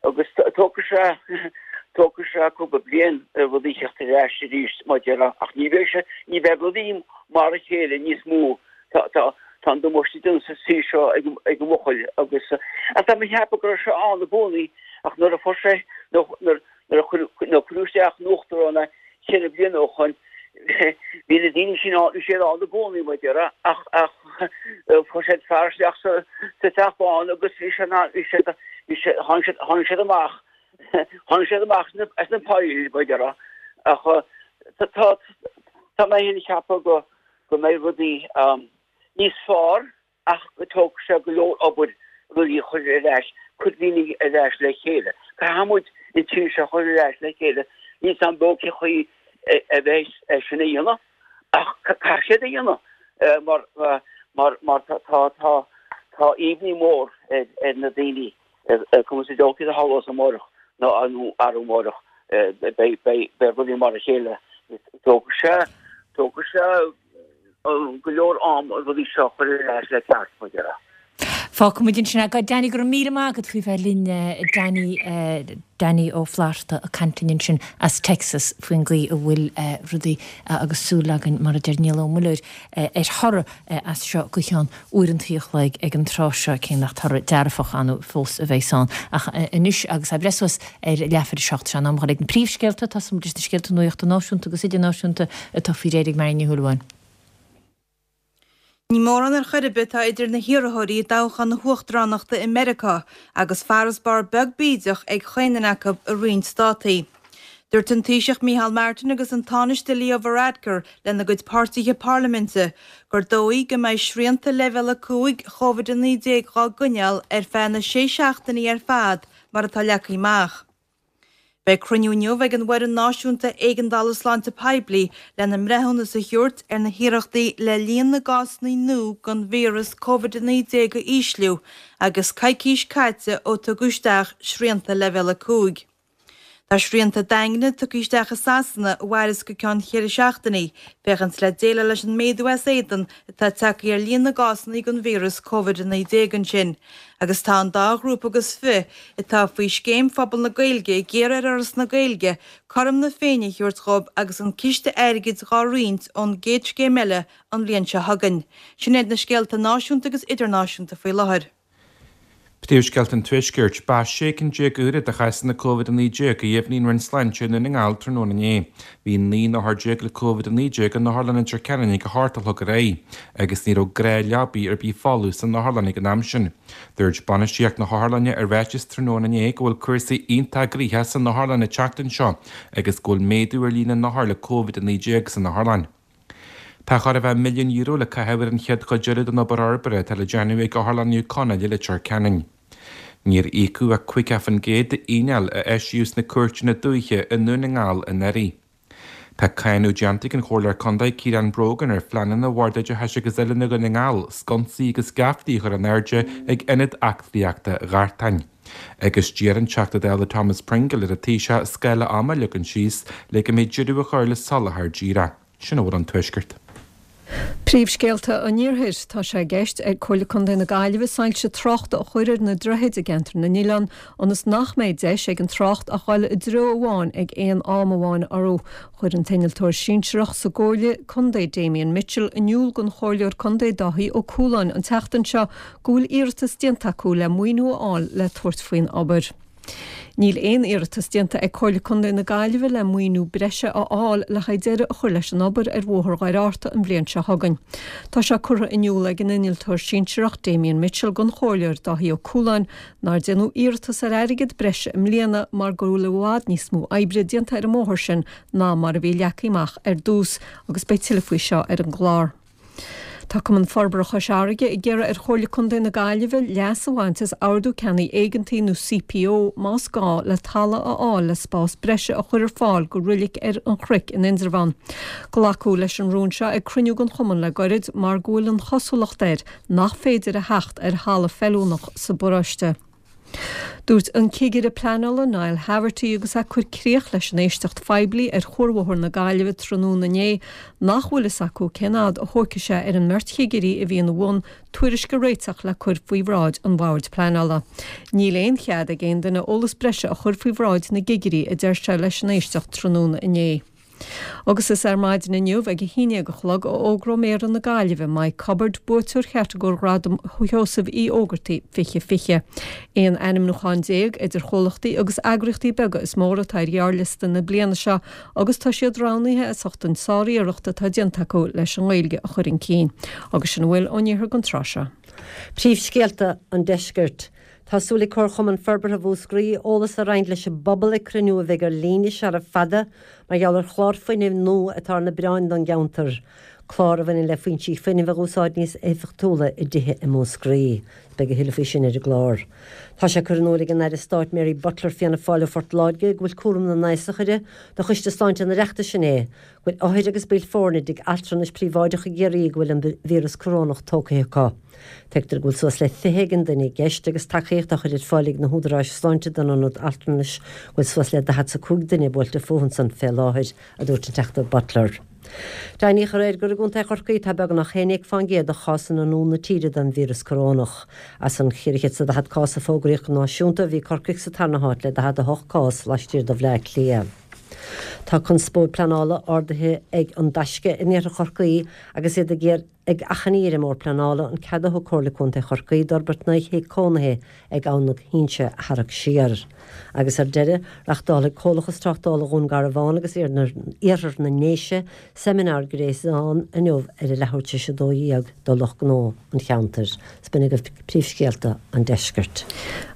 agus tógfaidh sé tógfaidh sé cúpla bliain rudaí a theacht ar ais arís, mar a déarfá, ach ní bheidh sé ní bheidh rudaí mar a chéile níos mó. Tá tá tá an damáiste déanta sa tír seo ag ag an mbuachaill agus ach tá mé ag ceapadh go raibh sé ann i gcónaí ach nuair a fuair sé nuair nuair a cuireadh isteach ina uachtarán é cheithre bliana ó shoin, bhí na daoine sin ann, bhí siad ann i gcónaí, mar a déarfá, ach, ach fuair siad fear isteach sa, sa Teach Bán agus bhí sé, bhí siad, bhí siad, tháinig siad, tháinig siad amach, tháinig siad amach as na, as na poill, mar a déarfá. Ach tá, tá, tá mé féin ag ceapadh go, go mbeidh rudaí níos fearr ach go dtógfaidh sé go leor obair rudaí a chur ar ais, cur daoine ar ais le chéile. Caithfidh muid an tír seo a chur ar ais le chéile. Níl 's a'm beo cén chaoi a bheidh é sin a dhéanamh ach caithfidh siad a dhéanamh mar mar mar tá tá tá imní mór ar na daoine cuma sa dóigh céard a tharlós amárach nó arú amárach beidh beidh beidh rudaí mar a chéile. Tógfaidh sé tógfaidh sé go leor am an rudaí seo a chur ar ais le ceart, mar a déarfá. Fágfaidh muid ansin é. Danny, go raibh míle maith agat faoi bheith linn. Danny, Danny Ó Flatharta ag caint linn ansin as Texas faoin gcaoi a bhfuil rudaí agus súil againn, mar a deir Niall Ó Muilleoir, ar thoradh as seo go ceann uaireantaí a chloig ag an tráth seo, cé nach toradh dearfach ann fós a bheas ann. Ach anois, agus é ag breith suas ar leathuair a 7, sé an am a dhul ag na príomhscéalta. Tosóidh muid leis na scéalta nuachta náisiúnta agus idirnáisiúnta atá faoi réir ag Marion Ní Shúilleabháin. Ní mórán ar chor ar bith atá idir na hiarrthóirí i dtoghchán na huachtaránachta i Meiriceá agus farasbarr beag bídeach ag chaon duine acu i roinnt státaí. Dúirt an Taoiseach Micheál Martin agus an Tánaiste Leo Varadkar lena gcuid páirtithe parlaiminte gur dóigh go mbeidh srianta Leibhéal 5 Covid-19 dhá gcoinneáil ar feadh na sé seachtainí ar fad mar atá leagtha amach. Beidh cruinniú inniu ag an bhFoireann Náisiúnta Éigeandála Sláinte Poiblí lena mbreithiúnas a thabhairt ar na hiarrachtaí le líon na gcásanna nua den víreas Covid-19 a ísliú agus coicís caite ó tugadh isteach srianta Leibhéal 5. Tá srianta daingne tugtha isteach i Sasana a mhairfeas go ceann cheithre seachtainí, féachaint le déileáil leis an méadú as éadan atá tagtha ar líon na gcásanna den víreas Covid-19 ansin. Agus tá an dá ghrúpa agus fi atá faoi Scéim Phobal na Gaeilge ag iarraidh ar Fhoras na Gaeilge cothrom na Féinne a thabhairt dhóibh agus an ciste airgid dhá roinnt ón gcéad scéim eile an bhliain seo chugainn. Sin iad na scéalta náisiúnta agus idirnáisiúnta faoi láthair. Príomhscéalta an Tuaiscirt, Ba 16 cinn úra de chásanna Covid-19 a dheimhnigh an Roinn Sláinte i nDún na nGall tráthnóna inné. Bhí 19 n-othar le Covid-19 in Otharlann Leitir Ceanainn ag a hocht a chlog ar aghaidh agus ní raibh gnáthleabaí ar bith folamh san otharlann ag an am sin. Dúirt bainistíocht na hotharlainne i ráiteas tráthnóna inné go bhfuil cúrsaí iontach gnoitheach san otharlann an tseachtain seo agus go bhfuil méadú ar líon na n-othar le Covid-19 san otharlann. Tá chóir a bheith €1 milliún le caitheamh ar an chéad chuid eile den obair fhorbartha atá le déanamh ag Otharlann Naomh Conaill i Leitir Ceanainn. Níor íocadh ach 50% d'fhíneáil a eisíodh sna cúirteanna dúiche i nDún na nGall anuraidh. Tá cáineadh déanta ag an Chomhairleoir Contae Ciarán Brogan ar phleananna Bhord Oideachais agus Oiliúna Dhún na nGall sconsaí agus geaftaí a chur in airde ag Ionad Eachtraíochta Ghartáin. Agus d'iarr an Teachta Dála Thomas Pringle ar an Taoiseach scála ama a leagan síos le go mbeidh deireadh á chur le soláthar díreach. Sin a bhfuil ón Tuaisceart. Príomhscéalta an Iarthair. Tá sé i gceist ag Comhairle Contae na Gaillimhe soilse tráchta a chur ar na droichid i gceantar na nOileán ionas nach mbeidh deis ag an trácht ach dul i dtreo amháin ag aon am amháin orthu. Chuir an t-innealtóir sinsearach sa gComhairle Contae Damien Mitchell in iúl don Chomhairleoir Contae Dáithí Ó Cualáin an tseachtain seo go bhfuil iarratas déanta acu le maoiniú a fháil le tabhairt faoin obair. Níl aon iarratas déanta ag Comhairle Contae na Gaillimhe le maoiniú breise a fháil le haghaidh deireadh a chur leis an obair ar Bhóthar Dhoire Fhatharta an bhliain seo chugainn. Tá sé curtha in iúl ag an innealtóir sinsearach Damien Mitchell don Chomhairleoir Dáithí Ó Cualáin nár déanadh iarratas ar airgead breise i mbliana mar go bhfuil i bhfad níos mó oibre déanta ar an mbóthar sin ná mar a bhí leagtha amach ar dtús agus beidh tuilleadh faoi seo ar an gclár. Tá Cumann Forbartha Chois Fharraige ag iarraidh ar Chomhairle Contae na Gaillimhe leas a bhaint as Ordú Ceannaigh Éigeantaigh nó CPO más gá le talamh a fháil le spás breise a chur ar fáil go roilig ar an Chnoic in Indreabhán. Glacadh leis an rún seo ag cruinniú den chumann le goirid mar go bhfuil an chosúlacht air nach féidir a theacht ar thalamh feiliúnach sa bparóiste. Dúirt an Cigire Pleanála Niall Haverty agus é ag cur críoch leis an éisteacht phoiblí ar Chuarbhóthar na Gaillimhe tráthnóna inné nach bhfuil fhios acu cén fhad a thógfaidh sé ar an mbeirt chigirí a bhí ina bhun tuairisc a réiteach le cur faoi bhráid an Bhoird Pleanála. Níl aon chead ag aon duine eolas breise a chur faoi bhráid na gcigirí a deir sé leis an éisteacht tráthnóna inné. Agus is ar maidin inniu ag a haon dhéag a chlog a fhógróidh Méara na Gaillimhe, Mike Cubbard, buaiteoir chatagóir Ghradam Sheosaimh Uí Ógartaigh 2020. 11 ainmniúchán idir chomhlachtaí agus eagraíochtaí beaga is móra atá ar ghearrliosta na bliana seo agus tá siad roghnaithe as ucht an tsár-iarracht atá déanta acu leis an nGaeilge a chur chun cinn. Agus sin a bhfuil ón iarthar don tráth seo. Príomhscéalta an Deiscirt. Tá súil ag Comharchumann Forbartha Mhúscraí eolas a roinnt leis an bpobal ag cruinniú a bheidh ar líne sara fada mar gheall ar chlár fuinnimh nua atá ar na bioráin don gceantar, clár a bhaineann le foinsí fuinnimh a dh'úsáid níos éifeachtúla i dtithe i Múscraí. Beidh a thuilleadh faoi sin ar an gclár. Tá sé curtha in iúl ag an Aire Stáit Mary Butler, Fianna Fáil ó Phort Láirge, go bhfuil cúram na n-aosach uirthi do Choiste Sláinte an Oireachtais inné, go bhfuil othair agus baill foirne i dtigh altranais príobháideach i gCiarraí go bhfuil an víreas corónach tógtha acu. Tuigtear go bhfuil suas le 20 ag an duine i gceist agus tacaíocht á chur ar fáil ag na húdaráis sláinte don ionad altranais go bhfuil suas le 45 duine buailte fúthu ansan fé láthair, a dúirt an Teachta Butler. Deimhníodh aréir gur i gContae Chorcaí atá beagnach 11 fán gcéad de chásanna nua na tíre den víreas corónach. As an 440 cás a fógraíodh go náisiúnta, bhí Corcaigh sa tarna háit le 48 cás laistiar de Bhleá Cliath. Tá conspóid pleanála ardaithe ag An Taisce in iarthar Chorcaí agus iad ag iarraidh ag achainí ar an mBord Pleanála an cead a thug Comhairle Contae Chorcaí d'fhorbairt 9 thigh cónaithe ag Abhainn na hInse a tharrac siar. Agus ar deireadh, reáchtálfaidh Comhlachas Tráchtála Dhún Garbhán agus Iarthar na nDéise seimineár gréasáin inniu ar a leathuair tar éis 12 do lucht gnó an cheantair. B'in agaibh príomhscéalta an deiscirt.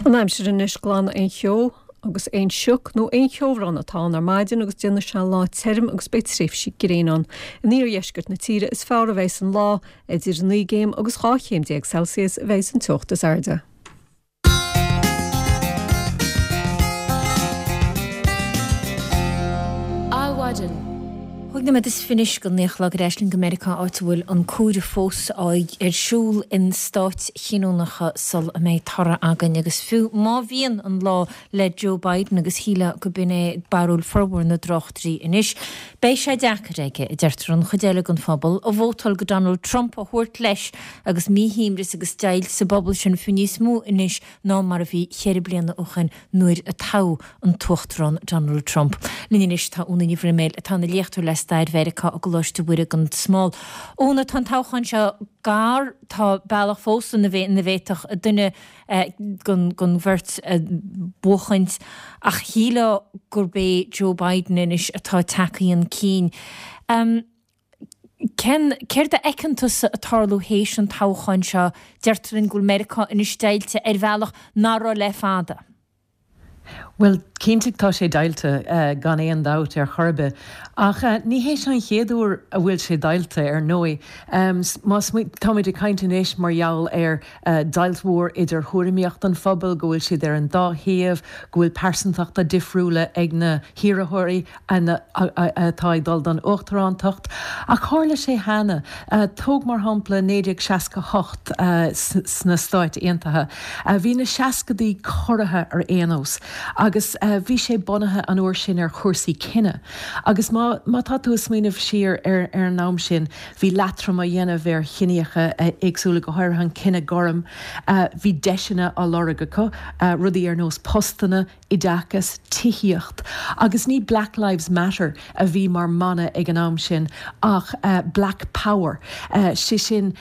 An aimsir anois, glanfaidh an cheo. Agus aon sioc nó aon cheobhrán atá ann ar maidin agus déanfaidh sé lá tirim agus beidh tréimhsí gréine ann. In iardheisceart na tíre is fearr a bheidhs an lá, idir 9 gcéim agus 12 chéim Celsius a bheidhs an teocht is airde. Adhmhaidin. 5 nóiméad is fiche anois go naoi a chlog ar ais linn go Meiriceá áit a bhfuil an comhaireamh fós ar siúl in stáit chinniúnacha sul a mbeidh toradh againn agus fiú má bhíonn an lá le Joe Biden agus shílfeá go b'in é barúil formhór na dtráchtairí anois beidh sé deacair aige, a deirtear, an chuid eile den phobal a vótáil go Donald Trump a thabhairt leis agus míshuaimhneas agus deighilt sa bpobal sin fiú níos mó anois ná mar a bhí cheithre bliana ó shin nuair a toghadh an tUachtarán Donald Trump. Linn anois tá Úna Ní Bhroiméil atá ina léachtóir le Stair Mheiriceá i gColáiste Mhuire gan Smál. Úna, tá an toghchán seo gar, tá bealach fós ina bhféadfadh duine den bheirt buachaint ach shílfeá gurb é Joe Biden anois atá tagtha chun cinn. Cén, céard a fheiceann tusa ag tarlú théis an toghcháin seo? Deirtear linn go bhfuil Meiriceá anois deighilte ar bhealach nach raibh le fada. Bhuel, cinnte tá sé deighilte, gan aon dabht ar chor ar bith. Ach ní hé seo an chéad uair a bhfuil sé deighilte, ar ndóigh. Má táimid ag caint anois mar gheall ar deighilt mhór idir thuairimíocht an phobail, go bhfuil siad ar an dá thaobh, go bhfuil pearsantachta difriúla ag na hiarrthóirí, atá ag dul don uachtarántacht. Ach tharla sé cheana. Tóg mar shampla 1968 sna Stáit Aontaithe. Bhí na seascadaí corraithe ar aon nós agus bhí sé bunaithe an uair sin ar chúrsaí cine. Agus má tá tú ag smaoineamh siar ar an am sin, bhí leatrom á dhéanamh ar chiníocha éagsúla, go háirithe an cine gorm. Bhí deiseanna á lorg acu, rudaí ar nós postanna, oideachas, tithíocht, agus ní Black Lives Matter a bhí mar mana ag an am sin ach Black Power, sé sin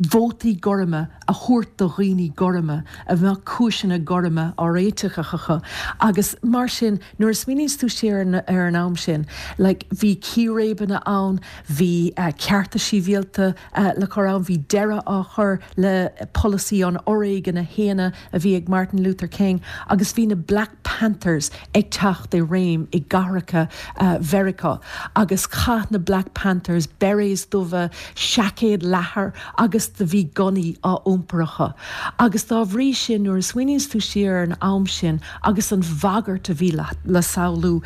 vótaí gorma a thabhairt do dhaoine gorma a mbeadh cúiseanna gorma á réiteach acu agus mar sin nuair a smaoiníonns tú siar ar an am sin like bhí círéibeanna ann, bhí cearta sibhialta le cur ann, bhí deireadh á chur le polasaí an fhoréigin a shéanadh a bhí ag Martin Luther King agus bhí na Black Panthers ag teacht i réim i gcathracha Mheiriceá agus chaith na Black Panthers beiréis dubha, seaicéid leathair agus do bhí gunnaí á iompar acu. Agus dá bhrí sin nuair a smaoiníonns tú siar ar an am sin agus an bhagairt a bhí le samhlú,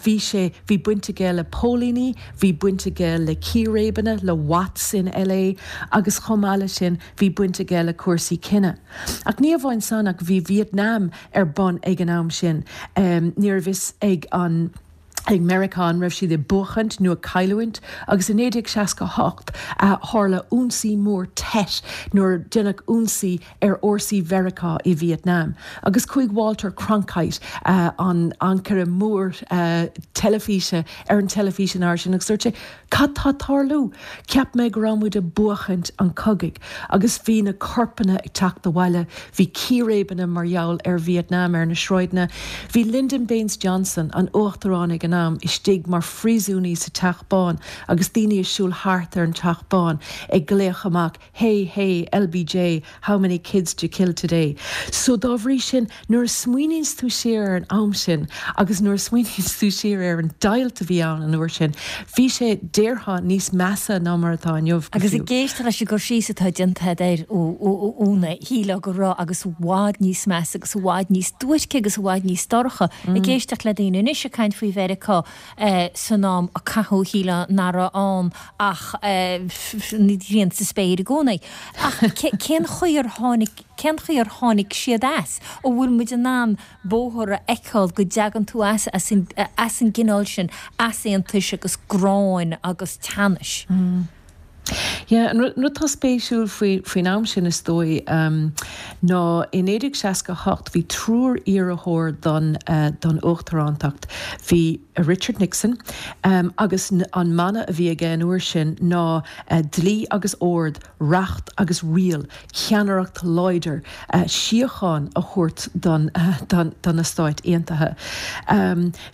bhí sé, bhí baint aige le póilíní, bhí baint aige le círéibeanna, le Watts in LA agus chomh maith leis sin bhí baint aige le cúrsaí cine. Ach ní amháin san ach bhí Vietnam ar bun ag an am sin. Ní raibh fhios ag an ag Meiriceá an raibh siad ag buachaint nó ag cailliúint agus i 1968 tharla ionsaí mór Tet nuair a deineadh ionsaí ar fhórsaí Mheiriceá i Vietnam agus chuaigh Walter Cronkite, an ancaire mór teilifíse ar an teilifís an uair sin agus dúirt sé Cad tá ag tarlú? Cheap mé go raibh muid ag buachaint an chogaidh. Agus bhí na corpanna ag teacht abhaile, bhí círéibeanna mar gheall ar Vietnam ar na sráideanna. Bhí Lyndon Baines Johnson, an uachtarán ag an am, istigh mar phríosúnaí sa Teach Bán agus daoine ag siúl thart ar an Teach Bán ag glaoch amach Hey, hey, LBJ, how many kids d'you kill today? So dá bhrí sin, nuair a smaoiníonns tú siar ar an am sin agus nuair a smaoiníonns tú siar ar an deighilt a bhí ann an uair sin, bhí sé, déarfá, níos measa ná mar atá inniu, go Agus fiú. ag éisteacht leis an gcur síos atá déanta agat air, Úna, shílfeá go raibh agus i bhfad níos measa agus i bhfad níos duairce agus i bhfad níos dorcha. Ag éisteacht le daoine anois ag caint faoi Mheiriceá san am a caitheadh, shílfeá nach raibh ann ach an ghrian sa spéir i gcónaí. Ach cén chaoi ar tháinig, cén chaoi ar tháinig siad as? An bhfuil muid in ann bóthar a fheiceáil go dtagann tú as, as an, as an gcineál sin easaontais agus gráin agus teannais? Yeah, an rud atá spéisiúil faoi, faoin am sin is dóigh, ná i 1968 bhí triúr iarrthóir don, don uachtarántacht. Bhí Richard Nixon, agus an mana a bhí aige an uair sin ná dlí agus ord, reacht agus riail, ceannaireacht láidir, síocháin a thabhairt don, don, do na Stáit Aontaithe.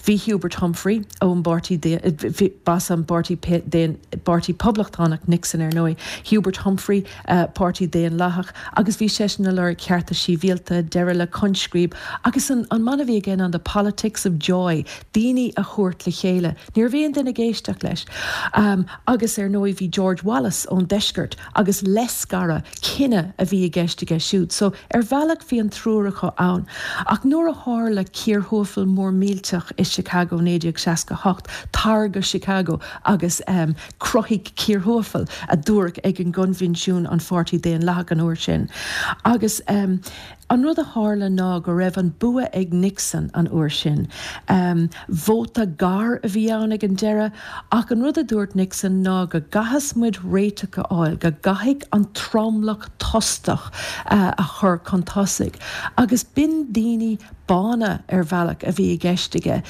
Bhí Hubert Humphrey ón bpáirtí, b'as an bpáirtí, bpáirtí Poblachtánach Nixon. Nixon ar ndóigh, Hubert Humphrey, Páirtí Daonlathach, agus bhí seisean ag lorg cearta sibhialta, deireadh le coinscríob, agus an mana a bhí aige ná the politics of joy, daoine a thabhairt le chéile. Ní raibh aon duine ag éisteacht leis. Agus ar ndóigh bhí George Wallace ón deisceart agus leithscaradh cine a bhí i gceist aige siúd. So ar bhealach bhí an triúr acu ann. Ach nuair a tharla cíorthuafal mór millteach i Chicago 1968, tar go Chicago agus cruthaigh cíorthuafal, a dúradh ag an gcoinbhinsiún an Pháirtí Daonlathach an uair sin. Agus an rud a tharla ná go raibh an bua ag Nixon an uair sin. Vóta gar a bhí ann ag an deireadh, ach an rud a dúirt Nixon ná go gcaithfeas muid réiteach a fháil, go gcaithfidh an tromlach tostach a chur chun tosaigh. Agus b'in daoine bána ar bhealach a bhí i gceist aige.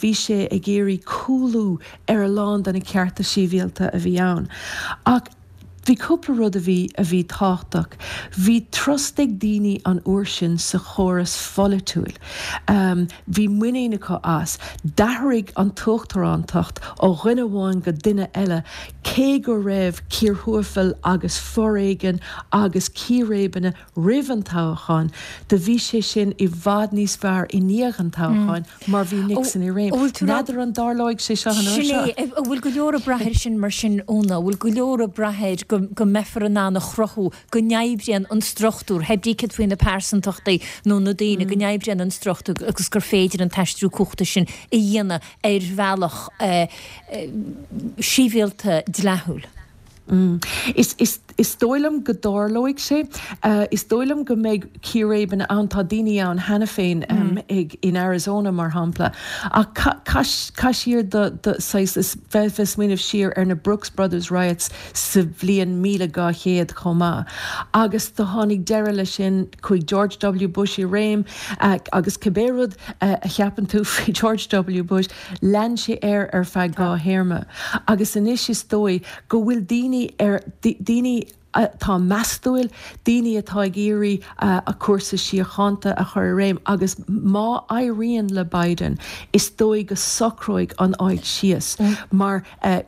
Bhí sé ag iarraidh cúlú ar a lán de na cearta sibhialta a bhí ann. Ach bhí cúpla rud a bhí a bhí tábhachtach. Bhí trust ag daoine an uair sin sa chóras pholaitiúil. Bhí muinín acu as. D'athraigh an t-uachtarántacht ó dhuine amháin go duine eile cé go raibh cíorthuafail agus foréigean agus círéibeanna roimh an toghchán, do bhí sé sin i bhfad níos fearr i ndiaidh an toghcháin mar bhí Nixon i réim. N'fheadar an dtarlóidh sé seo an uair Sin seo? é. An bhfuil go leor ag brath air sin mar sin, Úna? An bhfuil go leor ag brath air go go mbeifear in ann a chruthú go n-oibríonn an struchtúr, hé brí céard faoi na pearsantachtaí nó na daoine, go n-oibríonn an struchtúr agus gur féidir an t-aistriú cumhachta sin a dhéanamh ar bhealach sibhialta dleathúil? Is, is, is dóigh liom go dtarlóidh sé. Is dóigh liom go mbeidh círéibeanna ann. Tá daoine ann cheana féin ag, in Arizona mar shampla. Ach caith, caith siar do, do, saghas, is bheith, bheith smaoineamh siar ar na Brooks Brothers riots sa bhliain 1200 chomh maith. Agus do tháinig deireadh leis sin, chuaigh George W Bush i réim agus cibé rud a cheapann tú faoi George W Bush, Lean sé air ar feadh 2 théarma agus anois is dóigh go bhfuil daoine ar, daoine atá meastúil, daoine atá ag iarraidh a cúrsa síochánta a chur i réim agus má éiríonn le Biden is dóigh go socróidh an áit síos mar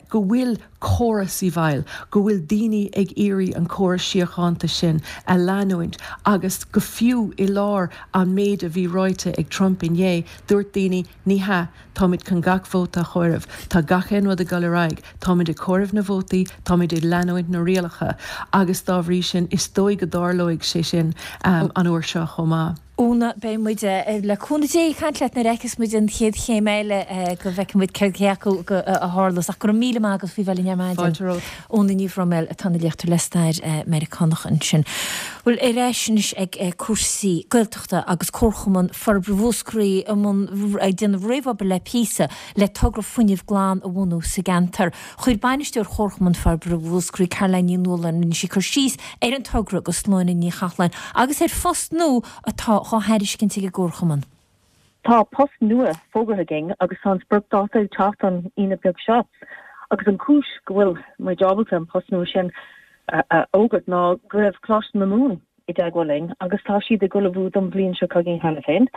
go bhfuil córas i bhfeighil, go bhfuil daoine ag iarraidh an córas síochánta sin a leanúint agus go fiú i lár an méid a bhí ráite ag Trump inné, dúirt daoine Ní hea, táimid chun gach vóta a chomhaireamh. Tá gach aon rud ag dul ar aghaidh. Táimid ag comhaireamh na vótaí, táimid ag leanúint na rialacha agus dá bhrí sin is dóigh go dtarlóidh sé sin an uair seo chomh maith. Úna, beidh muid, le cúnamh Dé, ag caint leat nuair a fheicfeas muid an chéad chéim eile, go bhfeicfidh muid céard cé acu a tharlós. Ach go raibh míle maith agat faoi bheith linn ar maidin. Fáilte romhat. Úna Ní Bhroiméil atá ina léachtóir le stair Meiriceánach ansin. Bhuel, ar ais anois ag cúrsaí Gaeltachta. Agus Comharchumann Forbartha Mhúscraí i mbun ag déanamh réamhobair le píosa le togra fuinnimh glan a bhunú sa gceantar. Chuir Bainisteoir Chomharchumann Forbartha Mhúscraí, Caroline Ní Nualláin, rinne sí cur síos ar an togra do Shláine Ní Chathalláin agus ar phost nua atá dhá thairiscint ag an gComharchumann. Tá post nua fógartha againn agus tá an spriocdháta ag teacht an Aoine beag seo. Agus an chúis go bhfuil muid ábalta an post nua sin a fhógairt ná go raibh Coláiste na Mumhan i dteagmháil linn agus tá siad ag ullmhú don bhliain seo chugainn cheana féin.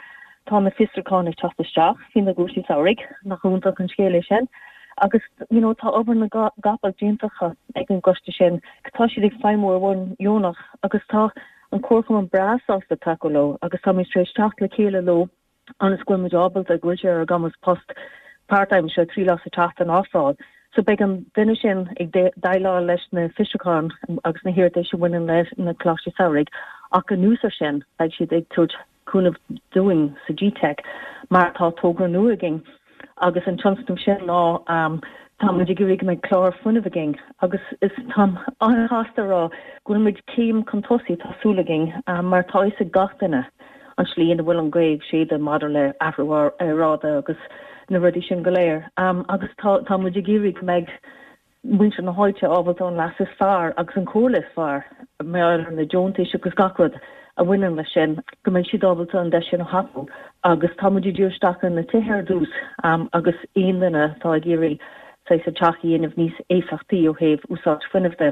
Tá na fiosrúcháin ag teacht isteach faoi na gcúrsaí samhraidh, nach iontach an scéal é sin? Agus you know tá obair na gcapall déanta acu ag an gcoiste sin, tá siad ag feidhmiú ar bhonn dheonach agus tá an Comharchumann breá sásta tacú leo agus táimid tar éis teacht le chéile leo ionas go bhfuil muid ábalta, go bhfuil sé ar ár gcumas post part-time, seo 3 lá sa tseachtain a ofráil. So beidh an duine sin ag déileáil leis na fiosrúcháin agus na hiarratais a bhaineann leis na Coláistí Samhraidh ach anuas ar sin beidh siad ag tabhairt cúnamh dúinn sa GTeic mar tá togra nua againn agus an tionscnamh sin ná tá muid ag iarraidh go mbeidh clár fuinnimh againn agus is táim an-shásta a rá go bhfuil muid céim chun tosaigh, tá súil againn, mar tá a fhios ag gach duine an tslí ina bhfuil an ghaoth ag séideadh maidir le athrú aeráide agus na rudaí sin go léir agus tá tá muid ag iarraidh go mbeidh muintir na háite ábalta an leas is fearr agus an chomhairle is fearr mar gheall ar na deontais agus gach rud a bhaineann leis sin, go mbeidh siad ábalta an deis sin a thapú agus tá muid ag díriú isteach ar na tithe ar dtús agus aon duine atá ag iarraidh saghas a dteach a dhéanamh níos éifeachtaí ó thaobh úsáid fuinnimh de.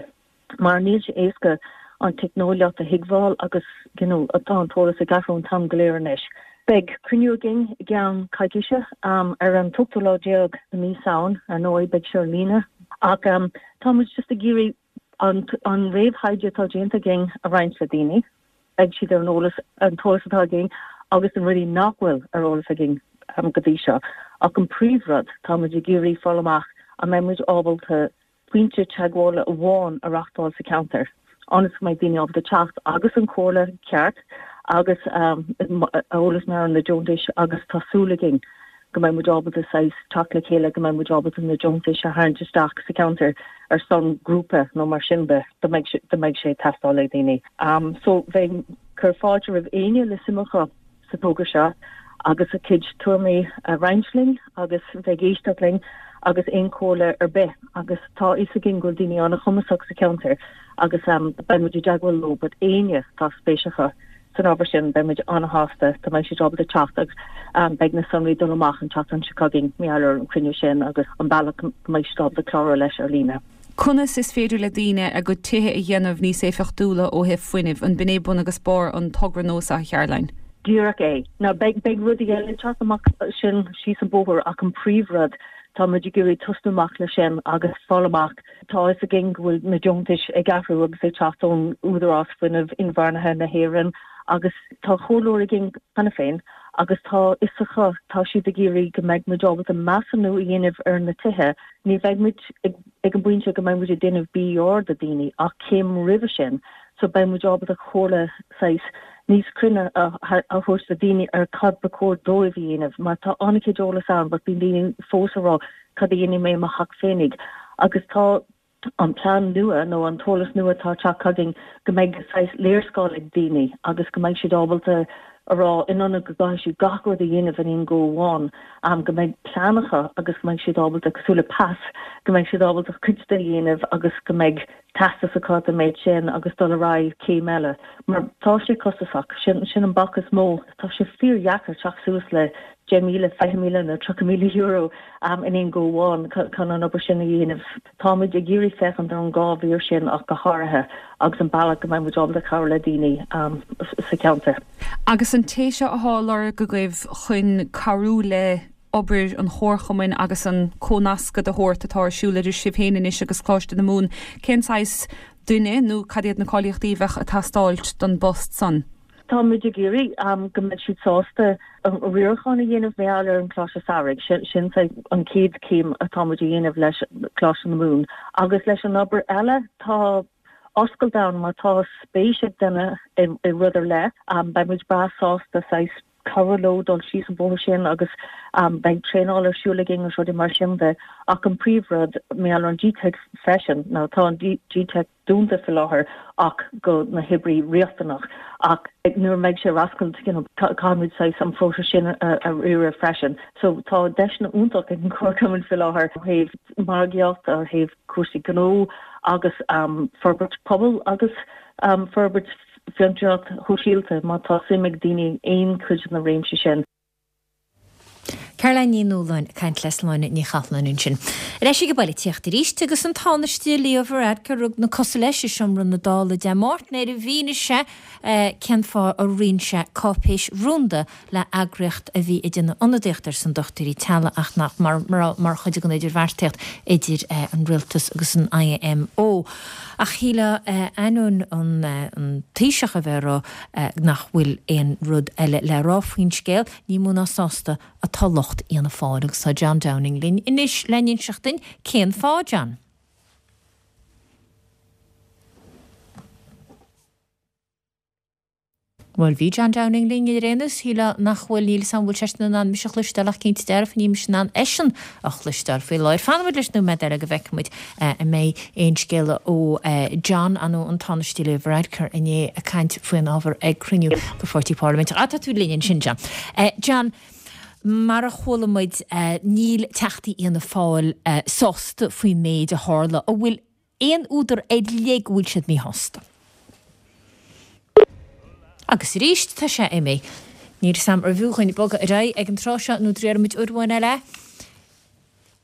Mar níl sé éasca an teicneolaíocht a thuigbheáil agus you know tá an t-eolas ag athrú an t-am go léir anois. Beidh cruinniú againn i gceann coicíse ar an t-ochtú lá déag de mí Samhain, ar ndóigh beidh sé ar líne ach tá muid just ag iarraidh. an réamhthaighde atá déanta againn a roinnt le daoine. Beidh siad ar an eolas, an t-eolas atá againn agus na rudaí nach bhfuil ar eolas againn go dtí seo. Ach an príomhrud, tá muid ag iarraidh fáil amach an mbeidh muid ábalta pointe teagmhála amháin a reachtáil sa cheantar ionas go mbeidh daoine ábalta teacht agus an chomhairle ceart agus eolas mar na deontais agus tá súil againn go mbeidh muid ábalta saghas teacht le chéile go mbeidh muid ábalta na deontais a tharraingt isteach sa cheantar ar son grúpa nó mar sin de dá mbeidh dá mbeidh sé ag teastáil ag daoine. So bheinn ag cur fáilte roimh éinne le suim acu sa togra seo agus a gcuid tuairimí a roinnt linn agus bheith ag éisteacht linn agus aon chomhairle ar bith agus tá a fhios againn go bhfuil daoine an-chumasach sa cheantar agus beidh muid i dteagmháil leo but éinne atá spéis acu san ábhar sin beidh muid an-shásta dá mbeidh siad ábalta teacht agus beidh na sonraí dul amach an tseachtain seo chugainn mar gheall ar an chruinniú sin agus an bealach go mbeidh siad ábalta clárú leis ar líne. Conas is féidir le daoine a gcuid tithe a dhéanamh níos éifeachtúla ó thaobh fuinnimh? An b'in é bun agus barr an togra nua, a Charoline? Díreach é. Now beidh, beidh rudaí eile ag teacht amach sin síos an bóthar ach an príomhrud, tá muid ag iarraidh tosnú amach leis sin agus fáil amach, tá a fhios againn go bhfuil na deontais ag athrú agus ag teacht ón Údarás Fuinnimh Inbhuanaithe na hÉireann agus tá comhairleoir againn cheana féin agus tá a fhios acu, tá siad ag iarraidh go mbeidh muid ábalta measúnú a dhéanamh ar na tithe Ní bheidh muid ag an bpointe go mbeidh muid ag déanamh BER do daoine ach céim roimhe sin so beidh muid ábalta comhairle saghas níos cruinne a thabhairt do daoine ar cad ba chóir dóibh a dhéanamh mar tá an-chuid eolas ann but bíonn daoine fós ag rá cad a dhéanfaidh mé i mo theach féinig agus tá an plean nua nó an t-eolas nua atá ag teacht chugainn go mbeidh saghas léarscáil ag daoine agus go mbeidh siad ábalta a rá, in ionad go gcaithfidh siad gach rud a dhéanamh in aon go amháin, go mbeidh plean acu agus go mbeidh siad ábalta, cosúil le pas, go mbeidh siad ábalta cuid de a dhéanamh agus go mbeidh teastas acu den méid sin agus dul ar aghaidh céim eile. Mar tá sé costasach, sin, sin an bac is mó. Tá sé fíordheacair teacht suas le 10,000, 20,000 nó €30,000 in aon go amháin chun an obair sin a dhéanamh. Táimid ag iarraidh féachaint ar an dhá mhír sin ach go háirithe agus an bealach go mbeidh muid ábalta cabhrú le daoine sa cheantar. Agus an té seo athá á lorg agaibh chun cabhrú le obair an Chomharchumainn agus an comhnascadh de shórt atá ar siúl idir sibh féin anois agus Coláiste na Mumhan, cén saghas duine nó cad iad na cáilíochtaí a bheadh ag teastáilt don bpost san? Tá muid ag iarraidh go mbeidh siad sásta an riarachán a dhéanamh mar gheall ar an Choláiste Samhraidh. Sin an chéad chéim atá muid a dhéanamh leis Coláiste na Mumhan. Agus leis an obair eile, tá oscailt ann má tá spéis ag duine i rud ar leith, beidh muid breá sásta saghas cabhrú leo dul síos an bóthar sin agus beidh traenáil ar siúl againn agus rudaí mar sin de. Ach an príomhrud, mar gheall ar an GTeic freisin, nó tá an GTeic, dúnta faoi láthair ach do na hoibrí riachtanach ach nuair a mbeidh sé ar oscailt you know caithfimid saghas an próiseas sin a riaradh freisin. So tá deiseanna iontach ag an Chomharchumann faoi láthair ó thaobh margaíocht, ó thaobh cúrsaí gnó agus forbairt pobail agus forbairt fiontraíocht shóisialta má tá suim ag daoine in aon chuid de na réimsí sin. Caroline Ní Nualláin ag caint le Sláine Ní Chathalláin ansin. Ar ais ag an bpoilitíocht arís agus an Tánaiste Leo Varadkar ag rug na cosa leis i seomra na Dála Dé Máirt nuair a mhínigh sé cén fáth ar roinn sé cáipéis rúnda le eagraíocht a bhí ag déanamh ionadaíocht ar son dochtúirí teaghlaigh ach nach raibh mar chuid den idirbheartaíocht idir an rialtas agus an IMO. Ach shílfeá ainneoin an Taoiseach a bheith ag rá nach bhfuil aon rud eile le rá faoin scéal, ní mó ná sásta atá lucht Fhianna Fáil agus tá John Downing linn anois le n-inseacht duinn cén fáth, John. Bhuel, bhí John Downing linn ar aon nós, shílfeá nach bhfuil, níl 'fhios a'm an bhfuil seisean in ann mise a chloisteáil ach cinnte dearfa níl mise in ann eisean a chloisteáil faoi láthair. Fanfaidh muid leis nóiméad eile go bhfeicfidh muid an mbeidh aon scéala ó John nó an Tánaiste Leo Varadkar inné ag caint faoin ábhar ag cruinniú de pháirtí parlaiminteach. Ah, tá tú linn ansin, John. John, mar a chuala muid, níl Teachtaí Fhianna Fáil sásta faoin méid a tharla. An bhfuil aon údar ar leith go bhfuil siad míshásta? Agus arís, tá sé imithe. Níl 'fhios a'm arbh fhiú dhuinn bogadh ar aghaidh ag an tráth seo nó an dtriailfidh muid uair amháin eile.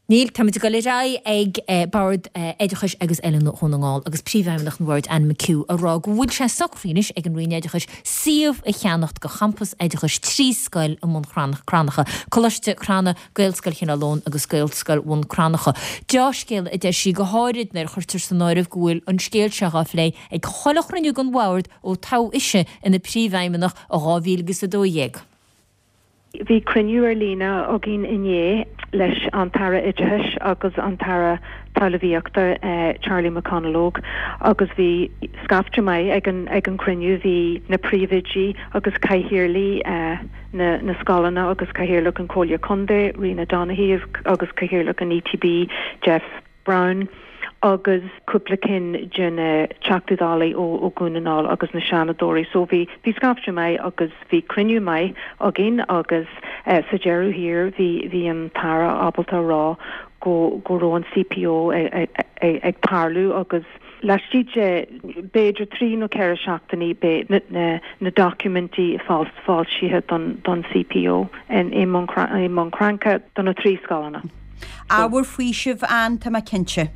Níl, táimid ag dul ar aghaidh ag Bord Oideachais agus Oiliúna Dhún na nGall agus Príomhfheidhmeannach an Bhoird Anne McHugh ag rá go bhfuil sé socraithe anois ag an Roinn Oideachais suíomh a cheannacht do champas oideachais 3 scoil i mBun Cranncha, Coláiste Crana, Gaelscoil Chineál Eoghain agus Gaelscoil Bhun Cranncha. Deá-scéala a deir sí, go háirid nuair a chuirtear san áireamh go bhfuil an scéal seo á phlé ag chuile chruinniú den Bhord ó toghadh ise ina Príomhfheidhmeannach i 2012. Bhí cruinniú ar líne againn inné leis an tAire Oideachais agus an tAire Talmhaíochta Charlie McConalogue agus bhí scaifte maith ag an ag an cruinniú. Bhí na príomhoidí agus cathaoirligh na na scoileanna agus cathaoirleach an Chomhairle Contae, Ríona Donoghue agus cathaoirleach an ETB, Jeff Browne agus cúpla cinn de na Teachtaí Dála ó Dhún na nGall agus na Seanadóirí. So bhí bhí scaifte maith agus bhí cruinniú maith againn agus sa deireadh thiar bhí bhí an tAire ábalta a rá go go raibh an CPO ag tarlú agus laistigh de b'fhéidir 3 nó 4 seachtainí beidh na na na doiciméidí foilsithe don don CPO i mBun Cranncha do na 3 scoileanna. Ábhar faoisimh ann, tá mé cinnte.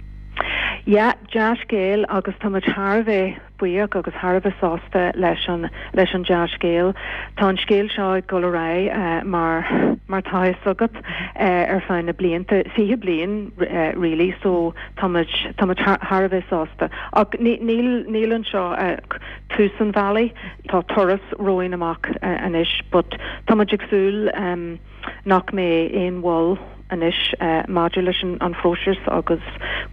Yeah, dea-scéal agus tá muid thar a bheith buíoch agus thar a bheith sásta leis an leis an dea-scéal. Tá an scéal seo ag dul ar aghaidh mar mar tá a fhios agat ar feadh na blianta, 20 bliain really, so tá muid tá muid thar a bheith sásta. Ach níl níl anseo ach tús an bhealaigh, tá turas romhainn amach anois but tá muid ag súil nach mbeidh aon mhoill anois maidir leis an phróiseas agus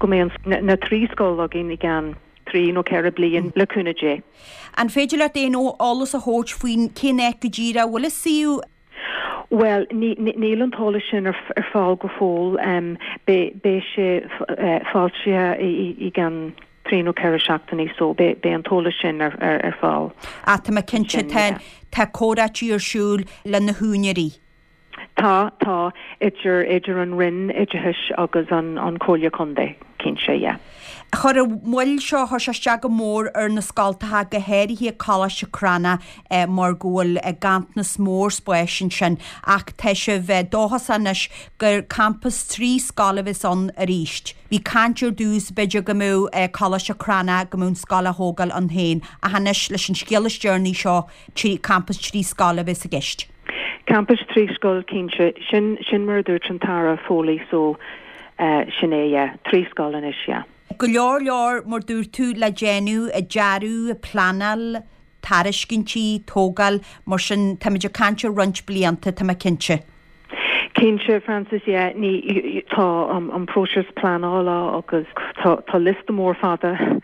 go mbeidh na 3 scoil againn i gceann 3 nó 4 bliain, le cúnamh Dé. An féidir leat aon eolas a thabhairt faoin cén áit go díreach a bhfuil an suíomh? Bhuel, níl an t-eolas sin ar fáil go fóill. Beidh sé foilsithe i gceann 3 nó 4 seachtainí so beidh an t-eolas sin ar fáil. Ach tá mé cinnte tá tá comhráití ar siúl le na húinéirí. Tá, tá, idir idir an Roinn Oideachais agus an an Chomhairle Contae, cinnte, yeah. Chuir an mhoill seo, chuir sé isteach go mór ar na scoltacha, go háirithe Coláiste Crannach mar go bhfuil ganntanas mór spáis ansin ach tá sibh dóchasach anois gur campas 3 scoil a bheas ann arís. Bhí caint ar dtús, b'fhéidir go mbeadh Coláiste Crannach, go mbeadh an scoil á thógáil ann féin, ach anois leis an scéal is deireanaí seo, trí, campas 3 scoil a bheas i gceist. Campas 3 scoil, cinnte. Sin, sin mar a dúirt an tAire Foley, so sin é, yeah, 3 scoil anois, yeah. Go leor leor, mar dúirt tú, le déanamh, dearadh, pleanáil, tairiscintí, tógáil, mar sin táimid ag caint ar roinnt blianta, tá mé cinnte. Cinnte, Frances, yeah, ní, tá an próiseas pleanála agus tá, tá liosta mór fada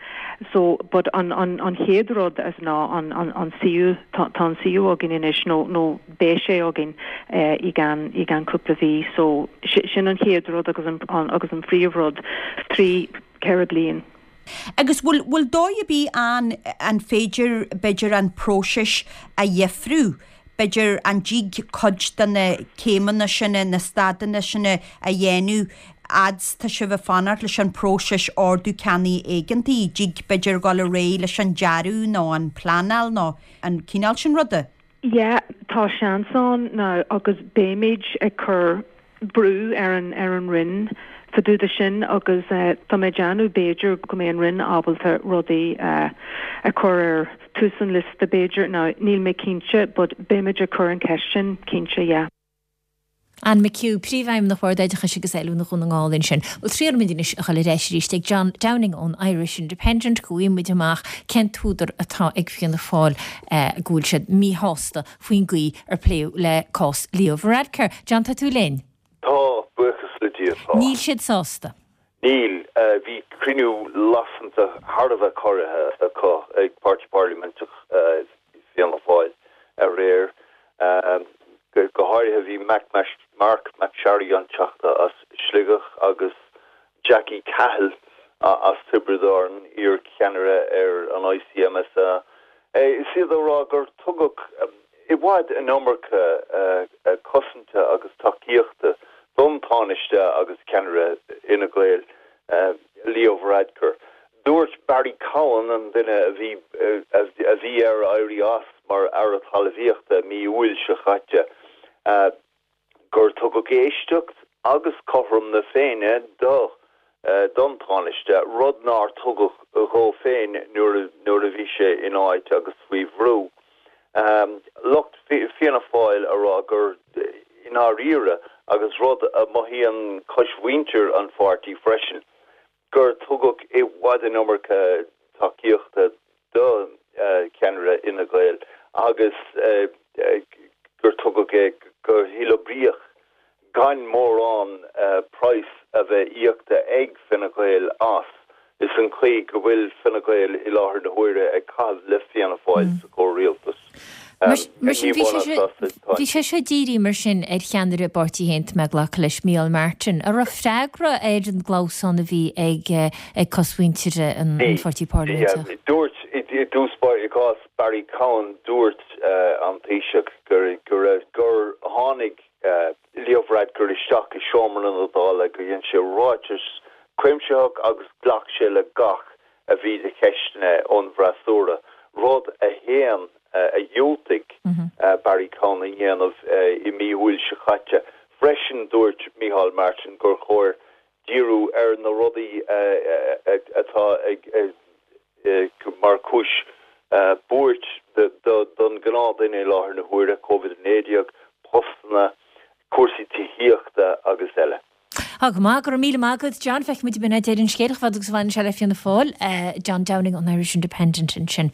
so, but an, an, an chéad rud as ná an, an, an suíomh, tá, tá an suíomh againn anois nó, nó beidh sé againn i gceann, i gceann cúpla mhí so sin an chéad rud agus an, an, agus an phríomhrud, 3, 4 bliain. Agus bhfuil, bhfuil dóigh ar bith ann an féidir, b'fhéidir, an próiseas a dheifriú, b'fhéidir, an dtig cuid de na céimeanna sin, na staideanna sin a dhéanamh fhad 's tá sibh ag fanacht leis an próiseas ordú ceannaigh éigeantaigh, dtig, b'fhéidir, dul ar aghaidh leis an dearadh nó an pleanáil nó an cineál sin ruda? Yeah, tá seans ann now agus beimid ag cur brú ar an ar an Roinn fá dtaobh de sin agus tá mé ag déanamh b'fhéidir go mbeidh an Roinn ábalta rudaí a chur ar tús an liosta b'fhéidir. Now níl mé cinnte but beimid ag cur an cheist sin cinnte, yeah. Anne McHugh, Príomhfheidhmeannach Bhord Oideachais agus Oiliúna Dhún na nGall ansin. Bhuel, triailfimid anois a dhul ar ais arís ag John Downing ón Irish Independent go bhfaighidh muid amach cén t-údar atá ag Fianna Fáil go bhfuil siad míshásta faoin gcaoi ar pléadh le cás Leo Varadkar. John, tá tú linn? Tá, buíochas le Dia, tá. Níl siad sásta. Níl. Bhí cruinniú lasanta thar a bheith corraithe acu ag Páirtí Parlaiminteach Fianna Fáil aréir. Go háirithe bhí Marc MacSharry, an Teachta as Sligeach, agus Jackie Cahill as Tiobraid Árann, iar-cheannaire ar an ICMSA, is iad ag rá gur tugadh i bhfad an iomarca cosanta agus tacaíochta don Tánaiste agus ceannaire Fhine Gael, Leo Varadkar. Dúirt Barry Cowen, an duine a bhí a bhí air éirí as mar Aire Talmhaíochta mí Iúil seo caite, gur tugadh éisteacht. agus cothrom na Féinne do don Tánaiste, rud nár tugadh dhó féin nuair nuair a bhí sé in áit agus faoi bhrú. Lucht Fianna Fáil a rá gur i ndáiríre, agus rud a mothaíonn cosmhuintir an pháirtí freisin, gur tugadh i bhfad an iomarca tacaíochta do cheannaire Fhine Gael agus gur tugadh é go huathoibríoch gan mórán praghas a bheith íoctha ag Fine Gael as. Is an chaoi go bhfuil Fine Gael i láthair na huaire ag caitheamh le Fianna Fáil sa chomhrialtas. Mar sin, bhí sé seo dírithe mar sin ar cheannaire a bpáirtí féin, tá mé ag glacadh leis, Micheál Martin, a raibh freagra ar an gclamhsán a bhí ag cosmhuintir an pháirtí parlaiminte. Dúirt, i dtús báire, i gcás Barry Cowen, dúirt an Taoiseach gur gur tháinig Leo Varadkar isteach i seomra na Dála, gur dhein sé ráiteas cuimsitheach agus ghlac sé le gach a bhí de cheisteanna ón bhfreasúra, rud a shéan, a dhiúltaigh Barry Cowen a dhéanamh i mí Iúil seo caite. Freisin, dúirt Micheál Martin gur chóir díriú ar na rudaí atá mar chúis buairt don ghnáthdhuine i láthair na huaire, Covid-19, postanna, cúrsaí tithíochta agus eile. Tá go maith, go raibh míle maith agat John. Feicfidh muid an b'in é deireadh an scéil, chomh fada agus a bhaineann sé le Fianna Fáil. John Downing ón Irish Independent ansin.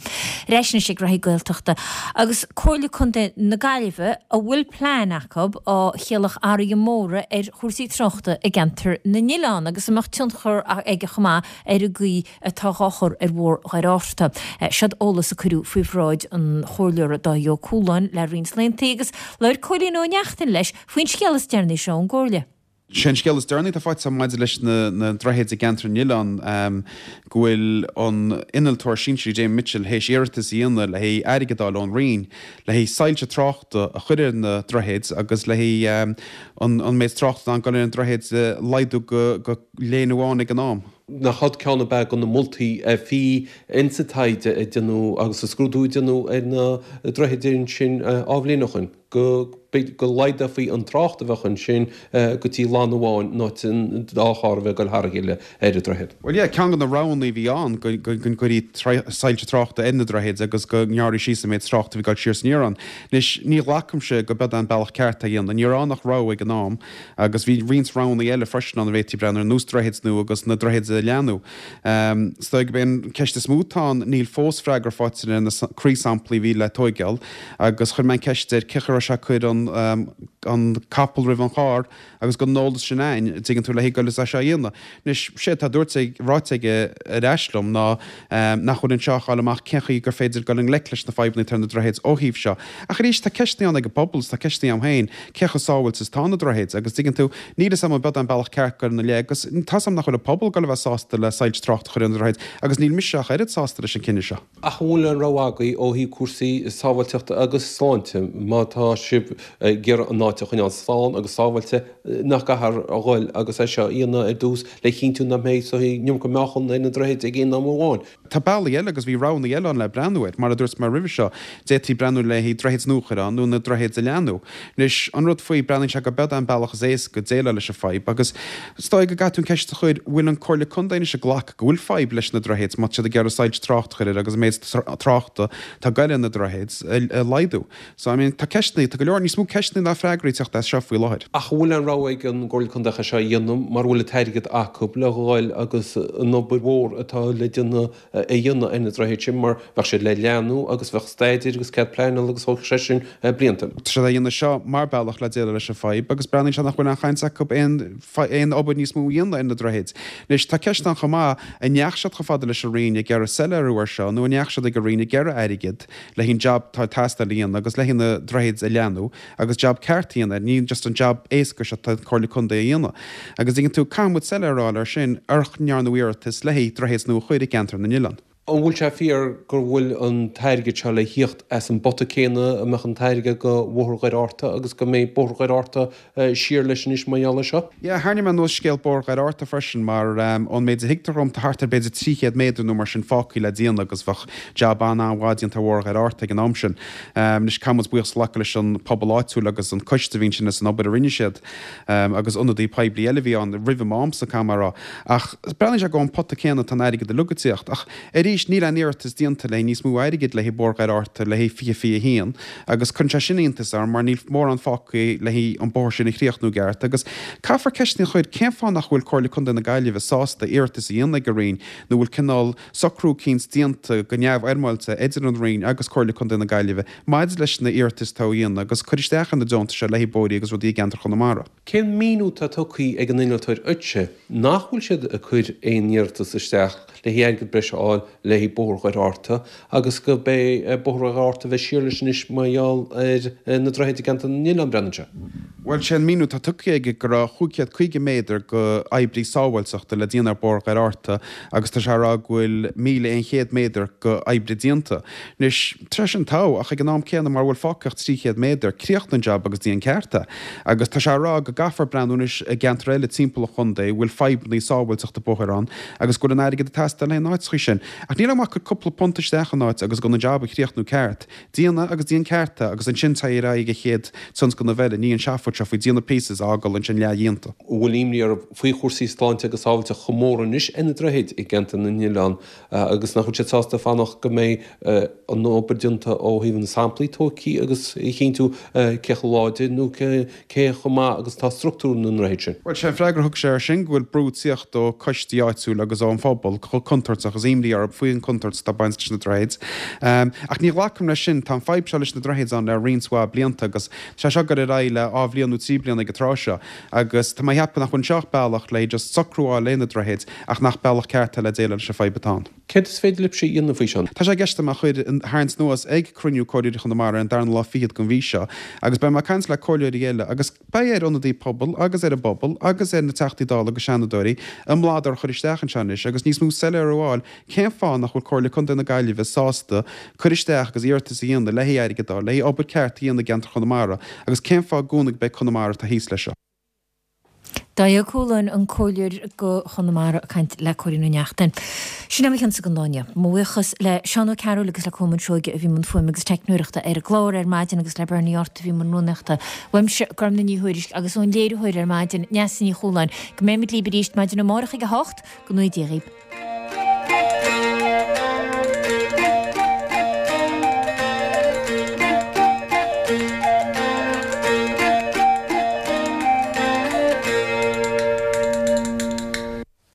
Ar ais anois ag graithí Gaeltachta agus Comhairle Contae na Gaillimhe a bhfuil plean acu ó chiallach athruithe móra ar chúrsaí tráchta i gceantar na nOileán agus a mbeadh tionchar aige chomh maith ar an gcaoi atá dhá chur ar Bhóthar Dhoire Fhatharta. Seod eolas a cuireadh faoi bhráid an Chomhairleora Dáithí Ó Cualáin le roinnt laethanta agus labhair Cóilín Ó Neachtain leis faoin scéal is deireanaí seo ón gComhairle. Sé an scéal is deireanaí atá faighte agam maidir leis na droichid i gceantar na nOileán go bhfuil an innealtóir sinsearach Damien Mitchell théis iarratas a dhéanamh le haghaidh airgead a fháil ón Roinn le haghaidh soilse tráchta a chur ar na droichid agus le haghaidh an méid tráchta atá ag dul ar na droichid a laghdú go léine amháin ag an am. Nach iad ceann ab ea de na moltaí a bhí insa taighde a déanadh agus sa scrúdú a déanadh ar na droichid ansin dhá bhliain ó shoin. go go laghdófaí an trácht a bheadh ansin go dtí lána amháin in áit an dá charr a bheith ag dul thar a chéile ar an droichead. Bhuel yeah, ceann de na roghanna a bhí ann go go gcuirí soilse tráchta ar na droichid agus go ngearrfaí síos an méid tráchta a bhí ag dul siar is aniar ann. Anois, ní ghlacaimse go b'iod é an bealach ceart é a dhéanamh. Ní raibh ann ach rogha ag an am agus bhí roinnt roghanna eile freisin ann a bhféadfaí breathnú ar nós droichid nua agus na droichid a leathnú. Is dóigh gurb é an ceist is mó atá ann, níl fós freagra faighte ar na croíshamplaí a bhí le tóigeáil agus chuir mé an ceist air cén chaoi a raibh sé ag cur an capall roimh an charr agus go an eolas sin a'inn, dtuigeann tú, le haghaidh goil is é seo a dhéanamh. Anois, sé atá dúirt ag, ráite aige ar ais liom ná nach bhfuil anseo ach fháil amach cén chaoi gur féidir goil i ngleic leis na fadhbanna atá ar na droichid ó thaobh seo. Ach arís, tá ceisteanna ann ag an bpobal is tá ceisteanna a'm féin, cé chomh sábháilte is atá na droichid agus dtuigeann tú, níl 'fhios a'm an b'iod é an bealach ceart goil ina leith agus tá 'fhios a'm nach bhfuil an pobal ag goil a bheith sásta le soilse tráchta a chur ar na droichid agus níl mise ach oiread sásta leis an cinneadh seo. Ach an bhfuil aon rogha agaibh ó thaobh cúrsaí sábháilteachta agus sláinte, má tá sibh ag iarraidh an áit a choinneáil slán agus sábháilte, nach gcaithfear a dhul agus é seo a dhéanamh ar dtús le chinntiú nach mbeidh an iomarca meáchan ar na droichid ag aon am amháin? Tá bealaí eile agus bhí roghanna eile ann le breathnú air. Mar a dúirt mé roimhe seo, d'fhéadfaí breathnú le haghaidh droichid nua a chur ann nó na droichid a leathnú. Anois, an rud faoi, breathnaíonn sé go b'iod é an bealach is éasca déileáil leis an fadhb agus is dóigh go gcaithfidh tú an ceist a chur, bhfuil an Comhairle Contae anois ag glacadh go bhfuil fadhb leis na droichid má tá siad ag iarraidh soilse tráchta a chur air agus an méid tráchta atá ag goil ar na droichid a laghdú. So, I mean, tá ceisteanna, tá go leor, níos mó ceisteanna ná freagraí ag teacht as seo faoi láthair. Ach an bhfuil aon rogha ag an gComhairle Contae é seo a dhéanamh mara bhfuil an t-airgead acu le dhul agus an obair mhór atá le déanamh a dhéanamh ar na droichid sin mar bheadh siad le leathnú agus bheadh staidéir agus cead pleanála agus thógfadh sé sin blianta. Tá siad á dhéanamh seo mar bealach le déileáil leis an fadhb agus breathnaíonn sé nach bhfuil aon chaint acu aon aon obair níos mó a dhéanamh ar na droichid. Anois tá ceist ann chomh maith, an ndeachaigh siad chomh fada leis an Roinn ag iarraidh soiléiriú air seo nó an ndeachaigh siad ag an Roinn ag iarraidh airgead le haghaidh an jab atá ag teastáil a dhéanamh agus le haghaidh na droichid a leathnú agus jab ceart a dhéanamh air, ní just an jab éasca seo atá an Comhairle Contae a dhéanamh. Agus tuigeann tú, caithfidh muid soiléiriú a fháil air sin, ar ndearnadh iarratas le haghaidh droichid nua a chur i gceantar na nOileán. An bhfuil sé fíor go bhfuil an t-airgead seo le thíocht as an bpota céanna a mbeadh an t-airgead go Bhóthar Dhoire Fhatharta agus go mbeidh Bóthar Dhoire Fhatharta siar leis anois mar gheall air seo? Yeah, tharraing mé anuas scéal Bóthar Dhoire Fhatharta freisin mar ón méid a thuigtear dhom tá thart ar b'fhéidir 300 méadar nó mar sin fágtha le déanamh agus bheadh jab an-an-mhaith déanta ar Bhóthar Dhoire Fhatharta ag an am sin. Anois caithfidh muid buíochas a ghlacadh leis an pobal áitiúil agus an coiste a bhí ansin as an obair a rinne siad agus ionadaí poiblí eile a bhí ann roimh m'amsa, caithfidh mé a rá. Ach breathnaíonn sé gur ón pota céanna atá an airgead uilig ag tíocht. Ach arís, níl aon iarratas déanta le haghaidh níos mó airgid le haghaidh Bóthar Dhoire Fhatharta le haghaidh 2021 agus cuireann sé sin iontas orm mar níl mórán fágtha le haghaidh an bóthar sin a chríochnú i gceart. Agus caithfear ceisteanna a chur, cén fáth nach bhfuil Comhairle Contae na Gaillimhe sásta iarratas a dhéanamh ag an Roinn nó bhfuil cineál socrú eicínt déanta go neamhfhoirmeáilte idir an Roinn agus Comhairle Contae na Gaillimhe maidir leis na hiarratais atá á dhéanamh agus cur isteach ar na deontais seo le haghaidh bóithrí agus rudaí i gceantar Chonamara. Cén míniú atá tugtha ag an innealtóir dhuitse nach bhfuil siad ag cur aon iarratas isteach le haghaidh airgead breise a fháil le haghaidh Bóthar Dhoire Fhatharta agus go beidh Bóthar Dhoire Fhatharta a bheith siar leis anois mar gheall ar na droichid i gceantar na n-oileán, breathnaíonn sé. Bhuel, sé an míniú atá tugtha aige go raibh 550 méadar go oibrí sábháilteachta le déanamh ar Bóthar Dhoire Fhatharta agus tá sé ag rá go bhfuil 1,100 méadar go oibre déanta. Anois, tá sé sin togha, ach ag an am céanna mara bhfuil fágtha ach 300 méadar, críochnaigh an jab agus déan ceart é. Agus tá sé ag rá go gcaithfear breathnú anois i gceantair eile timpeall an chontae a bhfuil fadhbanna sábháilteachta bóthair ann agus go bhfuil an airgead ag teastáil le haghaidh na n-áiteacha sin. Ach níl aon mhaith cur cúpla punt isteach in áit agus gan an jab a chríochnú ceart. Déan é agus déan ceart é agus ansin téigh ar aghaidh ag an chéad tionscnamh eile, ní an seafóid seo faoi déanamh pieces a fhágáil ansin leathdhéanta. an bhfuil imní orthu faoi chúrsaí sláinte agus sábháilteachta chomh mór anois ar na droichid i gceantar na n-oileán agus nach bhfuil siad sásta fanacht go mbeidh an obair déanta ó thaobh na samplaí tógtha agus a chinntiú cé chomh láidir nó cé chomh maith agus atá struchtúr na ndroichead sin. Bhuel, sé an freagra a thug sé air sin go bhfuil brú ag tíocht ó coistí áitiúil agus ón phobal chomh contúirteach agus imní orthu faoin chontúirt atá ag baint leis na droichid. Ach ní ghlacaim leis sin. Tá an fadhb seo leis na droichid ann le roinnt mhaith blianta agus tá sé seo ag dul ar aghaidh le dhá bhliain nó trí bliana ag an tráth seo. Agus tá mé ag ceapadh nach bhfuil anseo ach bealach le just socrú a fháil le na droichid ach nach bealach ceart é le déileáil leis an fadhb atá ann. Céard is féidir libhse a dhéanamh faoi seo? Tá sé i gceist agam é a chur, a tharraingt anuas ag cruinniú Comhairleoirí Chonamara ar an darna lá fichead den mhí seo agus beidh mé ag caint le comhairleoirí eile agus beidh ar ionadaí pobail agus ar an bpobal agus ar na Teachtaí Dála agus Seanadóirí a mbladar a chur isteach anseo anois agus níos mó soiléiriú a fháil cén fáth nach bhfuil Comhairle Contae na Gaillimhe sásta cur isteach agus iarratas a dhéanamh le haghaidh airgead a fháil le haghaidh obair ceart a dhéanamh i gceantar Chonamara agus cén fáth i gcónaí gurb é Conamara atá thíos leis seo. Dáithí Ó Cualáin, an Comhairleoir go Chonamara ag caint le Cóilín Ó Neachtain. Sin é mo chionsa don lá inniu. Mo bhuíochas le Seán Ó Cearúil agus le Colmán Seoige a bhí i mbun fuaime agus teicneoireachta ar an gclár ar maidin agus le Bernie Art a bhí i mbun rúnaíochta. Uaimse, Gormfhlaith Ní Thuairisg agus ón léiritheoir ar maidin, Neasa Ní Chualáin. Go mbeimid libh arís maidin amárach ag 8, go ngnóthaí Dia dhaoibh.